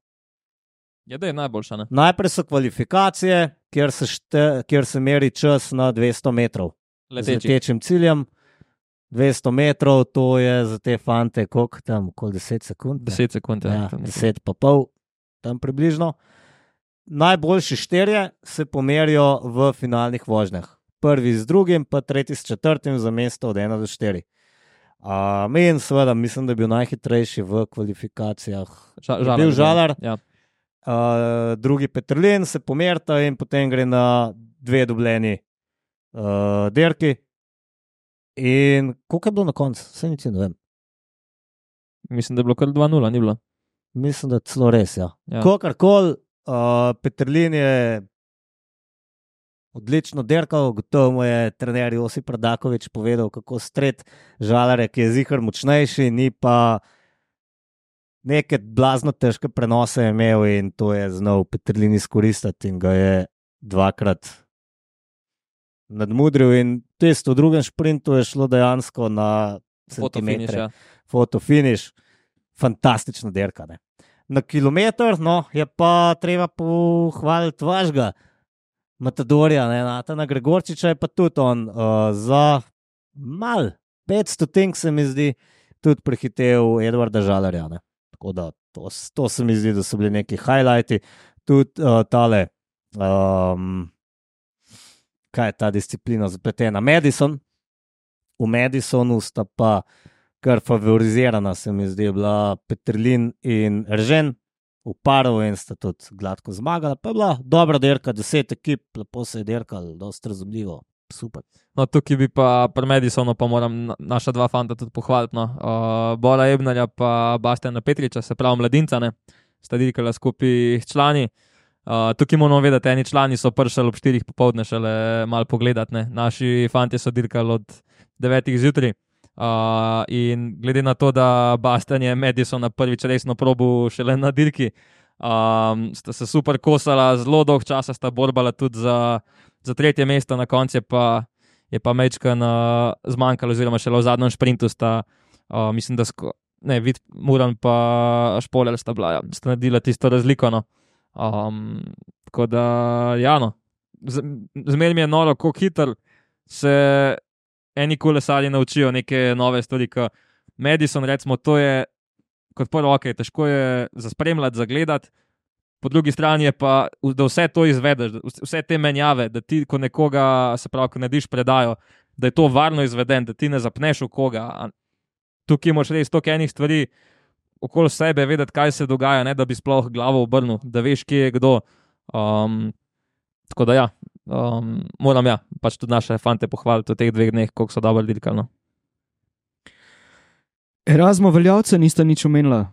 Ja, da je najboljša, ne? Najprej so kvalifikacije, kjer se, šte, kjer se meri čas na dvesto metrov. Leteči. Z letečim ciljem. dvesto metrov, to je za te fante, koliko tam, koliko deset sekund? deset sekund, ja. ja deset pa pol, tam približno. Najboljši štirje se pomerijo v finalnih vožnjah. Prvi z drugim, pa tretji s četrtim za mesto od ena do štiri. Um, in seveda, mislim, da je bil najhitrejši v kvalifikacijah. Ža, žalar, bil Žalar, ja. uh, drugi Peterlin se pomerta in potem gre na dve dobljeni uh, dirki. In koliko je bilo na koncu? Vse nič ne vem. Mislim, da je bilo kar dva nula, ni bilo? Mislim, da celo res, ja. ja. Kokarkoli, uh, Peterlin je odlično dirkal, gotovo mu je trener Josip Radakovič povedal, kako stret Žalarja, ki je zihar močnejši, ni pa neke blazno težke prenose imel in to je znal Peterlin izkoristiti in ga je dvakrat nadmudril in tisto v drugem šprintu je šlo dejansko na centimetre. Fotofiniš, fantastična dirka, ne. Na kilometr, no, je pa treba pohvaliti vašega Matadorja, ne, Natana Gregorčiča je pa tudi on uh, za mal, petsto tink se mi zdi, tudi prehitev Edvarda Žalarja, ne. Tako da, to, to se mi zdi, da so bili neki highlighti, tudi uh, tale um, kaj je ta disciplina zapletena? Madison, v Madisonu sta pa kar favorizirana, se mi zdi, bila Petrlin in Eržen v paru in sta tudi gladko zmagala. Pa je bila dobra dirka, deset ekip, lepo se je dirkal, dosti razumljivo, super. No, tukaj bi pa pri Madisonu pa moram naša dva fanta tudi pohvaliti. No. Uh, Bora Ebnerja pa Bastjana Petriča, se pravi mladinca, ne, sta dirkala skupaj člani. Uh, tukaj moramo vedeti, eni člani so prišli ob štirih popoldne šele malo pogledati, ne. Naši fantje so dirkali od devetih zjutraj. Uh, in glede na to, da Bastjan je Madisona prvič resno probil šele na dirki, um, sta se super kosala, zelo dolg časa sta borbala tudi za, za tretje mesto, na koncu je pa, je pa mečkan uh, zmanjkalo, oziroma šele v zadnjem šprintu sta, uh, mislim, da sko, ne, Vid Muran pa Špoler sta bila, ja, sta naredila tisto razliko, no. Um, tako da, ja, no, Z, zmer mi je noro, kako hitro se eni kolesarji naučijo neke nove stvari, kot Madison, recimo, to je kot prvo, ok, težko je zaspremljati, zagledati, po drugi strani je pa, da vse to izvedeš, vse te menjave, da ti, ko nekoga, se pravi, ko narediš predajo, da je to varno izveden, da ti ne zapneš v koga. Tukaj moraš res toliko enih stvari okoli sebe vedeti, kaj se dogaja, ne, da bi sploh glavo obrnil, da veš, kje je kdo. Um, tako da ja, Um, moram ja, pač tudi naše fante pohvaliti v teh dveh dneh, koliko so dobro dirkali. No. Erasmo Veljavca nista nič omenila.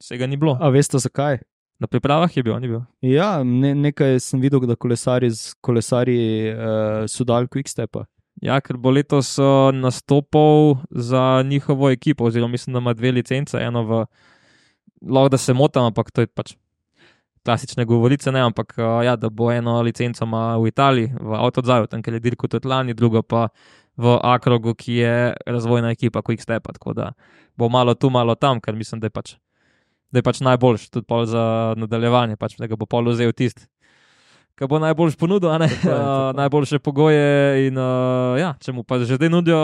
Vsega ni bilo. A veste zakaj? Na pripravah je bil, ni bil. Ja, ne, nekaj sem videl, da kolesari, kolesari uh, so dal Quickstepa. Ja, ker bo letos uh, nastopal za njihovo ekipo, oziroma mislim, da ima dve licence, eno v, lahko da se motam, ampak to je pač klasične govorice, ne, ampak ja, da bo eno licenco ima v Italiji, v Autodzaju, tam, ker je dirko tudi lani, drugo pa v Akrogu, ki je razvojna ekipa Quickstepa, tako da bo malo tu, malo tam, ker mislim, da je pač, da je pač najboljš, tudi pol za nadaljevanje, pač, da ga bo pol vzel tisti, ki bo najboljš ponudil, a ne, uh, najboljše pogoje in uh, ja, če mu pa že zdaj nudijo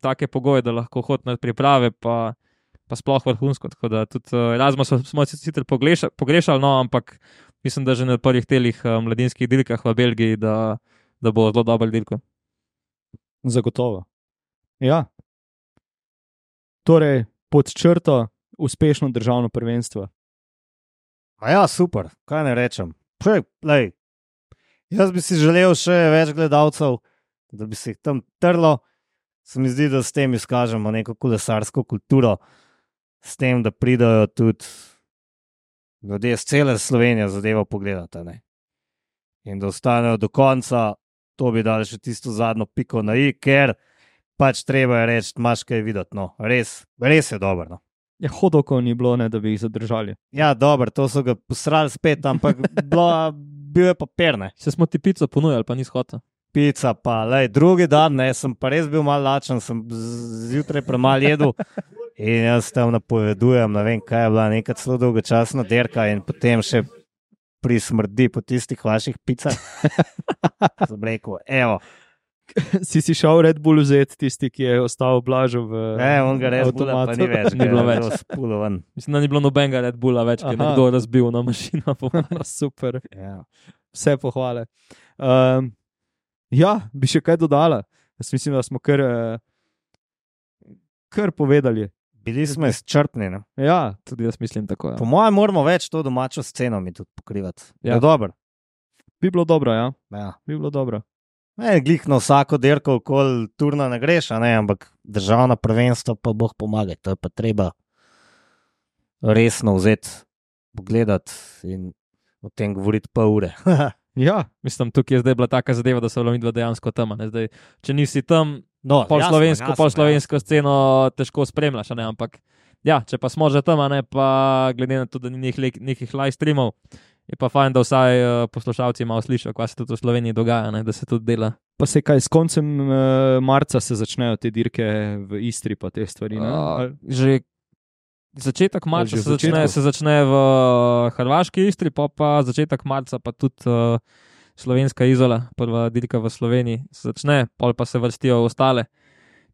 take pogoje, da lahko hod na priprave, pa pa sploh vrhunsko, tako da tudi uh, Erasma smo sicer pogrešali, pogrešali, no, ampak mislim, da že na prvih telih uh, mladinskih dirkah v Belgiji, da, da bo zelo dober dirko. Zagotovo. Ja. Torej, pod črto uspešno državno prvenstvo. A ja, super, kaj ne rečem. Prej, lej, jaz bi si želel še več gledalcev, da bi se jih tam trlo. Se mi zdi, da s tem izkažemo neko kolesarsko kulturo, s tem, da pridajo tudi ljudje z cele Slovenije zadevo pogledati, ne. In da ostanejo do konca, to bi dali še tisto zadnjo piko na i, ker pač treba je reči, imaš kaj videti, no, res, res je dobro, no. Ja, hodokov ni bilo, ne, da bi jih zadržali. Ja, dobro, to so ga posrali spet, ampak bilo, bil je papir, ne. Se smo ti pico ponujali, pa nisi hotel. Pica pa, lej, drugi dan, ne, sem pa res bil malo lačen, sem zjutraj premalo jedel in jaz tam napovedujem, ne vem, kaj je bila neka celo dolgočasna dirka in potem še prismrdi po tistih vaših picah. Sem rekel, evo. Si si šel Red Bull vzeti, tisti, ki je ostal Blažu v avtomatu? Ne, on ga Red Bulla pa ni več. Ni bilo več. Spulovan. Mislim, da ni bilo nobenega Red Bulla več, ki je nekdo razbil na mašino. Super. Ja. Vse pohvale. Um, ja, bi še kaj dodala. Jaz mislim, da smo kar, kar povedali. Bili smo izčrpni, ne? Ja. Tudi jaz mislim tako, ja. Po mojem moramo več to domačo sceno mi tudi pokrivati. Ja. Je dobro. Bi bilo dobro, ja. Ja. Bi bilo dobro. Ne, glih na vsako dirko okoli turna ne greš, a ne, ampak državna prvenstva pa boh pomaga. To je pa treba resno vzeti, pogledati in o tem govoriti pa ure. Ja. Mislim, tukaj je zdaj bila taka zadeva, da so bila midva dejansko tam. Zdaj, če nisi tam, no, pol jasno, slovensko, jasno, pol slovensko jasno. sceno težko spremljaš, a ne, ampak ja, če pa smo že tam, a ne, pa glede na to, da ni nekih, nekih live streamov, je pa fajn, da vsaj uh, poslušalci malo slišijo, kaj se tudi v Sloveniji dogaja, ne, da se tudi dela. Pa se kaj, s koncem uh, marca se začnejo te dirke v Istri, pa te stvari, ne? Uh, že začetek marca že se začne, se začne v Hrvaški Istri, pa pa začetek marca pa tudi uh, slovenska Izola, prva dirka v Sloveniji se začne, pol pa se vrstijo ostale,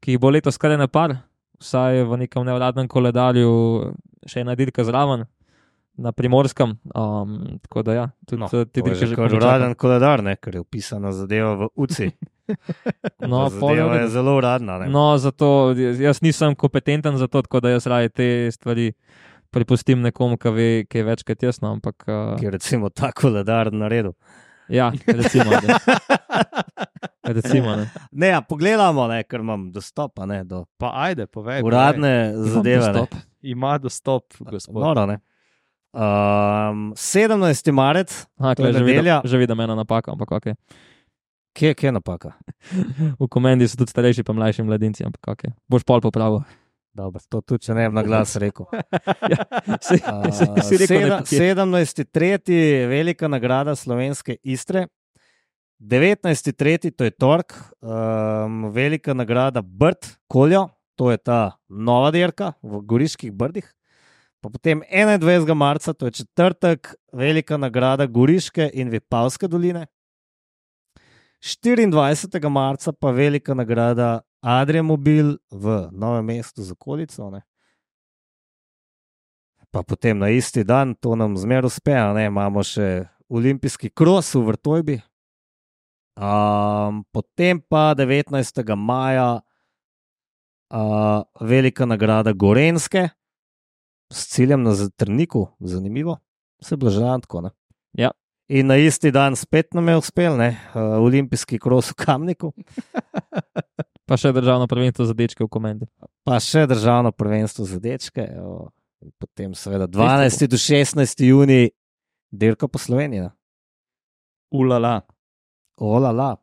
ki jih bo letos kar ene par, vsaj v nekem nevladnem koledarju še ena dirka zraven, na Primorskem, um, tako da ja, tudi No, te to je dirke že že kar komaj uraden čakam. koledar, ne, ker je upisana zadeva v U C I. No, pol je v Zadeva je redu. zelo uradna. Ne? No, zato jaz nisem kompetenten za to, tako da jaz raje te stvari prepustim nekomu, ki ve, kaj je več kot jaz, no, ampak uh, Ki je recimo ta koledar naredil. ja, recimo, da. recimo, ne. Ne, ja, pogledamo, ne, ker imam dostop a ne, do Pa ajde, povej. uradne Imam zadeve. Ne. dostop. povej. Ima dostop, gospod. Noro, ne. Um, sedemnajsti marec, Aha, To je kle, že vidim, nedelja. že vidim ena napaka, ampak ok. kje, kje je napaka? V komendi so tudi starejši pa mlajši mladinci, ampak ok. Boš pol popravil. Dobro, to tudi, če ne bi na glas rekel. Si, Uh, si, si rekel, sedem- ne, kje. sedemnajsti tretji velika nagrada Slovenske Istre. devetnajsti tretji to je tork, um, velika nagrada Brd, Koljo, to je ta nova dirka v Goriških Brdih. Pa potem enaindvajsetega marca, to je četrtek, velika nagrada Goriške in Vipavske doline. štiriindvajsetega marca pa velika nagrada Adriamobil v Novem mestu z okolico. Ne. Pa potem na isti dan, to nam zmer uspe, a ne, imamo še olimpijski kros v Vrtojbi. Um, potem pa devetnajstega maja uh, velika nagrada Gorenske s ciljem na Zatrniku, zanimivo, se je bilo že tako. Ne? Ja. In na isti dan spet nam je uspel, ne, uh, olimpijski kros v Kamniku, Pa še državno prvenstvo za dečke v komendi. pa še državno prvenstvo za dečke. evo, in Potem seveda dvanajsti do šestnajsti junij dirka po Sloveniji. Ne? Ulala. Olala.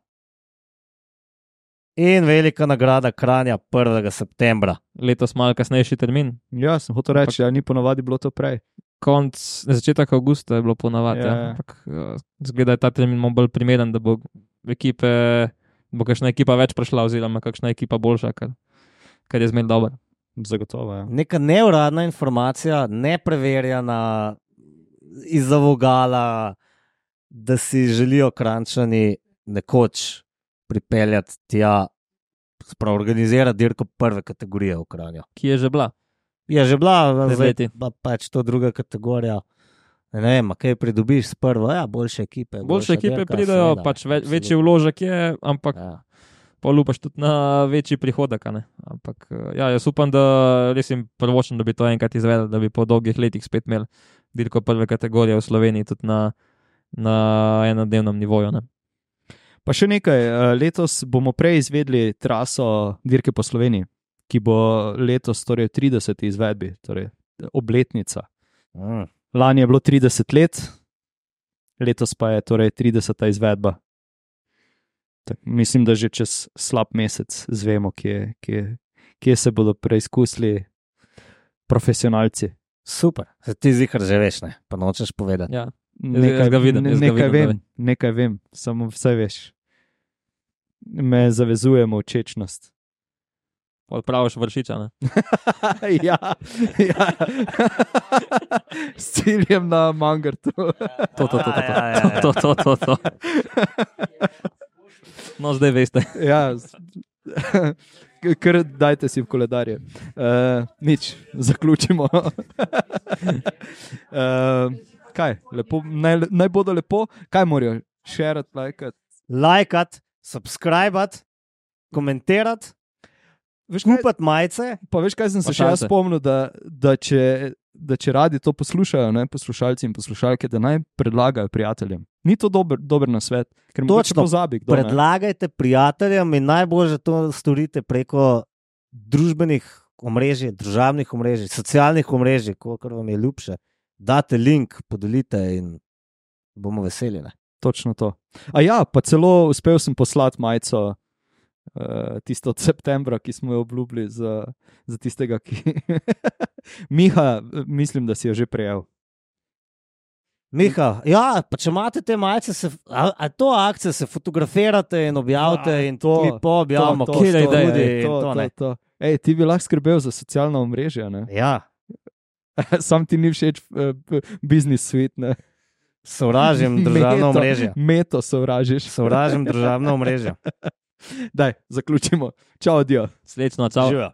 In velika nagrada Kranja prvega septembra. Letos malo kasnejši termin. Ja, sem hotel reči, da ni ponovadi bilo to prej. Konc, začetek avgusta je bilo ponavadi, Ja, ja. ja. Ampak uh, zgleda, da je ta termin malo bolj primeren, da bo ekipe, bo kakšna ekipa več prišla, oziroma kakšna ekipa boljša, kar, kar je zmer dobro. Zagotovo, ja. Neka neuradna informacija, nepreverjena izza vogala, da si želijo Kranjčani nekoč pripeljati tja, sprav organizirati dirko prve kategorije v Kranju. Ki je že bila. Je že bila, Pred zdaj leti. pa pač to druga kategorija. Ne vem, a kaj pridobiš s prvo, ja, boljše ekipe. Boljše boljša ekipe dirka, pridejo, seveda, pač ve, absolutno. večji vložek je, ampak Ja. polupaš tudi na večji prihodek. a ne. Ampak uh, ja, jaz upam, da res jim prvočem, da bi to enkrat izvedel, da bi po dolgih letih spet imeli dirko prve kategorije v Sloveniji tudi na, na enodnevnem nivoju. Ne. Pa še nekaj, eh, letos bomo prej izvedli traso dirke po Sloveniji, ki bo letos torej v trideseti izvedbi, torej obletnica. Mm. Lani je bilo trideset let, letos pa je torej trideseta izvedba. Tak, mislim, da že čez slab mesec zvemo, kje, kje, kje se bodo preizkusili profesionalci. Super, se ti zihar že veš, ne, pa nočeš povedati. Ja. Nekaj, ga vidim, ne- jaz ga nekaj vidim, da vem, nekaj vem, samo vse veš. Me zavezujemo v čečnost. Pol praviš vršiča. Ne. ja, ja. S ciljem na Mangartu. To, to, to, to, Ja, ja, ja. to, to, to, to, to. No, zdaj veste. ja, z- kar dajte si v koledarje. Uh, nič, zaključimo. uh, kaj, lepo, naj, naj bodo lepo, kaj morajo? Šerati, lajkati. Lajkat, subscribat, komentirat, Veš, kaj, kupati majice. pa veš, kaj sem se Pa še jaz šanse. spomnil, da, da, če, da če radi to poslušajo, ne, poslušalci in poslušalke, da naj predlagajo prijateljem. Ni to dober, dober nasvet, ker mogoče Točno. pozabi, kdo ne. Predlagajte prijateljem in najbolje to storite preko družbenih omrežij, državnih omrežij, socialnih omrežij, kar vam je ljubše. Date link, podelite in bomo veseli. Ne? Točno to. A ja, pa celo uspel sem poslati majico, uh, tisto od septembra, ki smo jo obljubili za, za tistega, ki. Miha, mislim, da si jo že prejel. Miha, ja, pa če imate te majice, se, a, a to akcijo se fotografirate in objavite Ja, in to, to objavimo, to, kot kjer je ste ideja, tudi Ej, in to, to, to, ne. to. Ej, ti bi lahko skrbel za socialna omrežja, ne? Ja, Sam ti ni všeč uh, business suite, ne? sovražim državno Meto- omrežje. Meto sovražiš. Sovražim državno omrežje. Daj, zaključimo. Čau, dio. Srečno, čau. Živijo.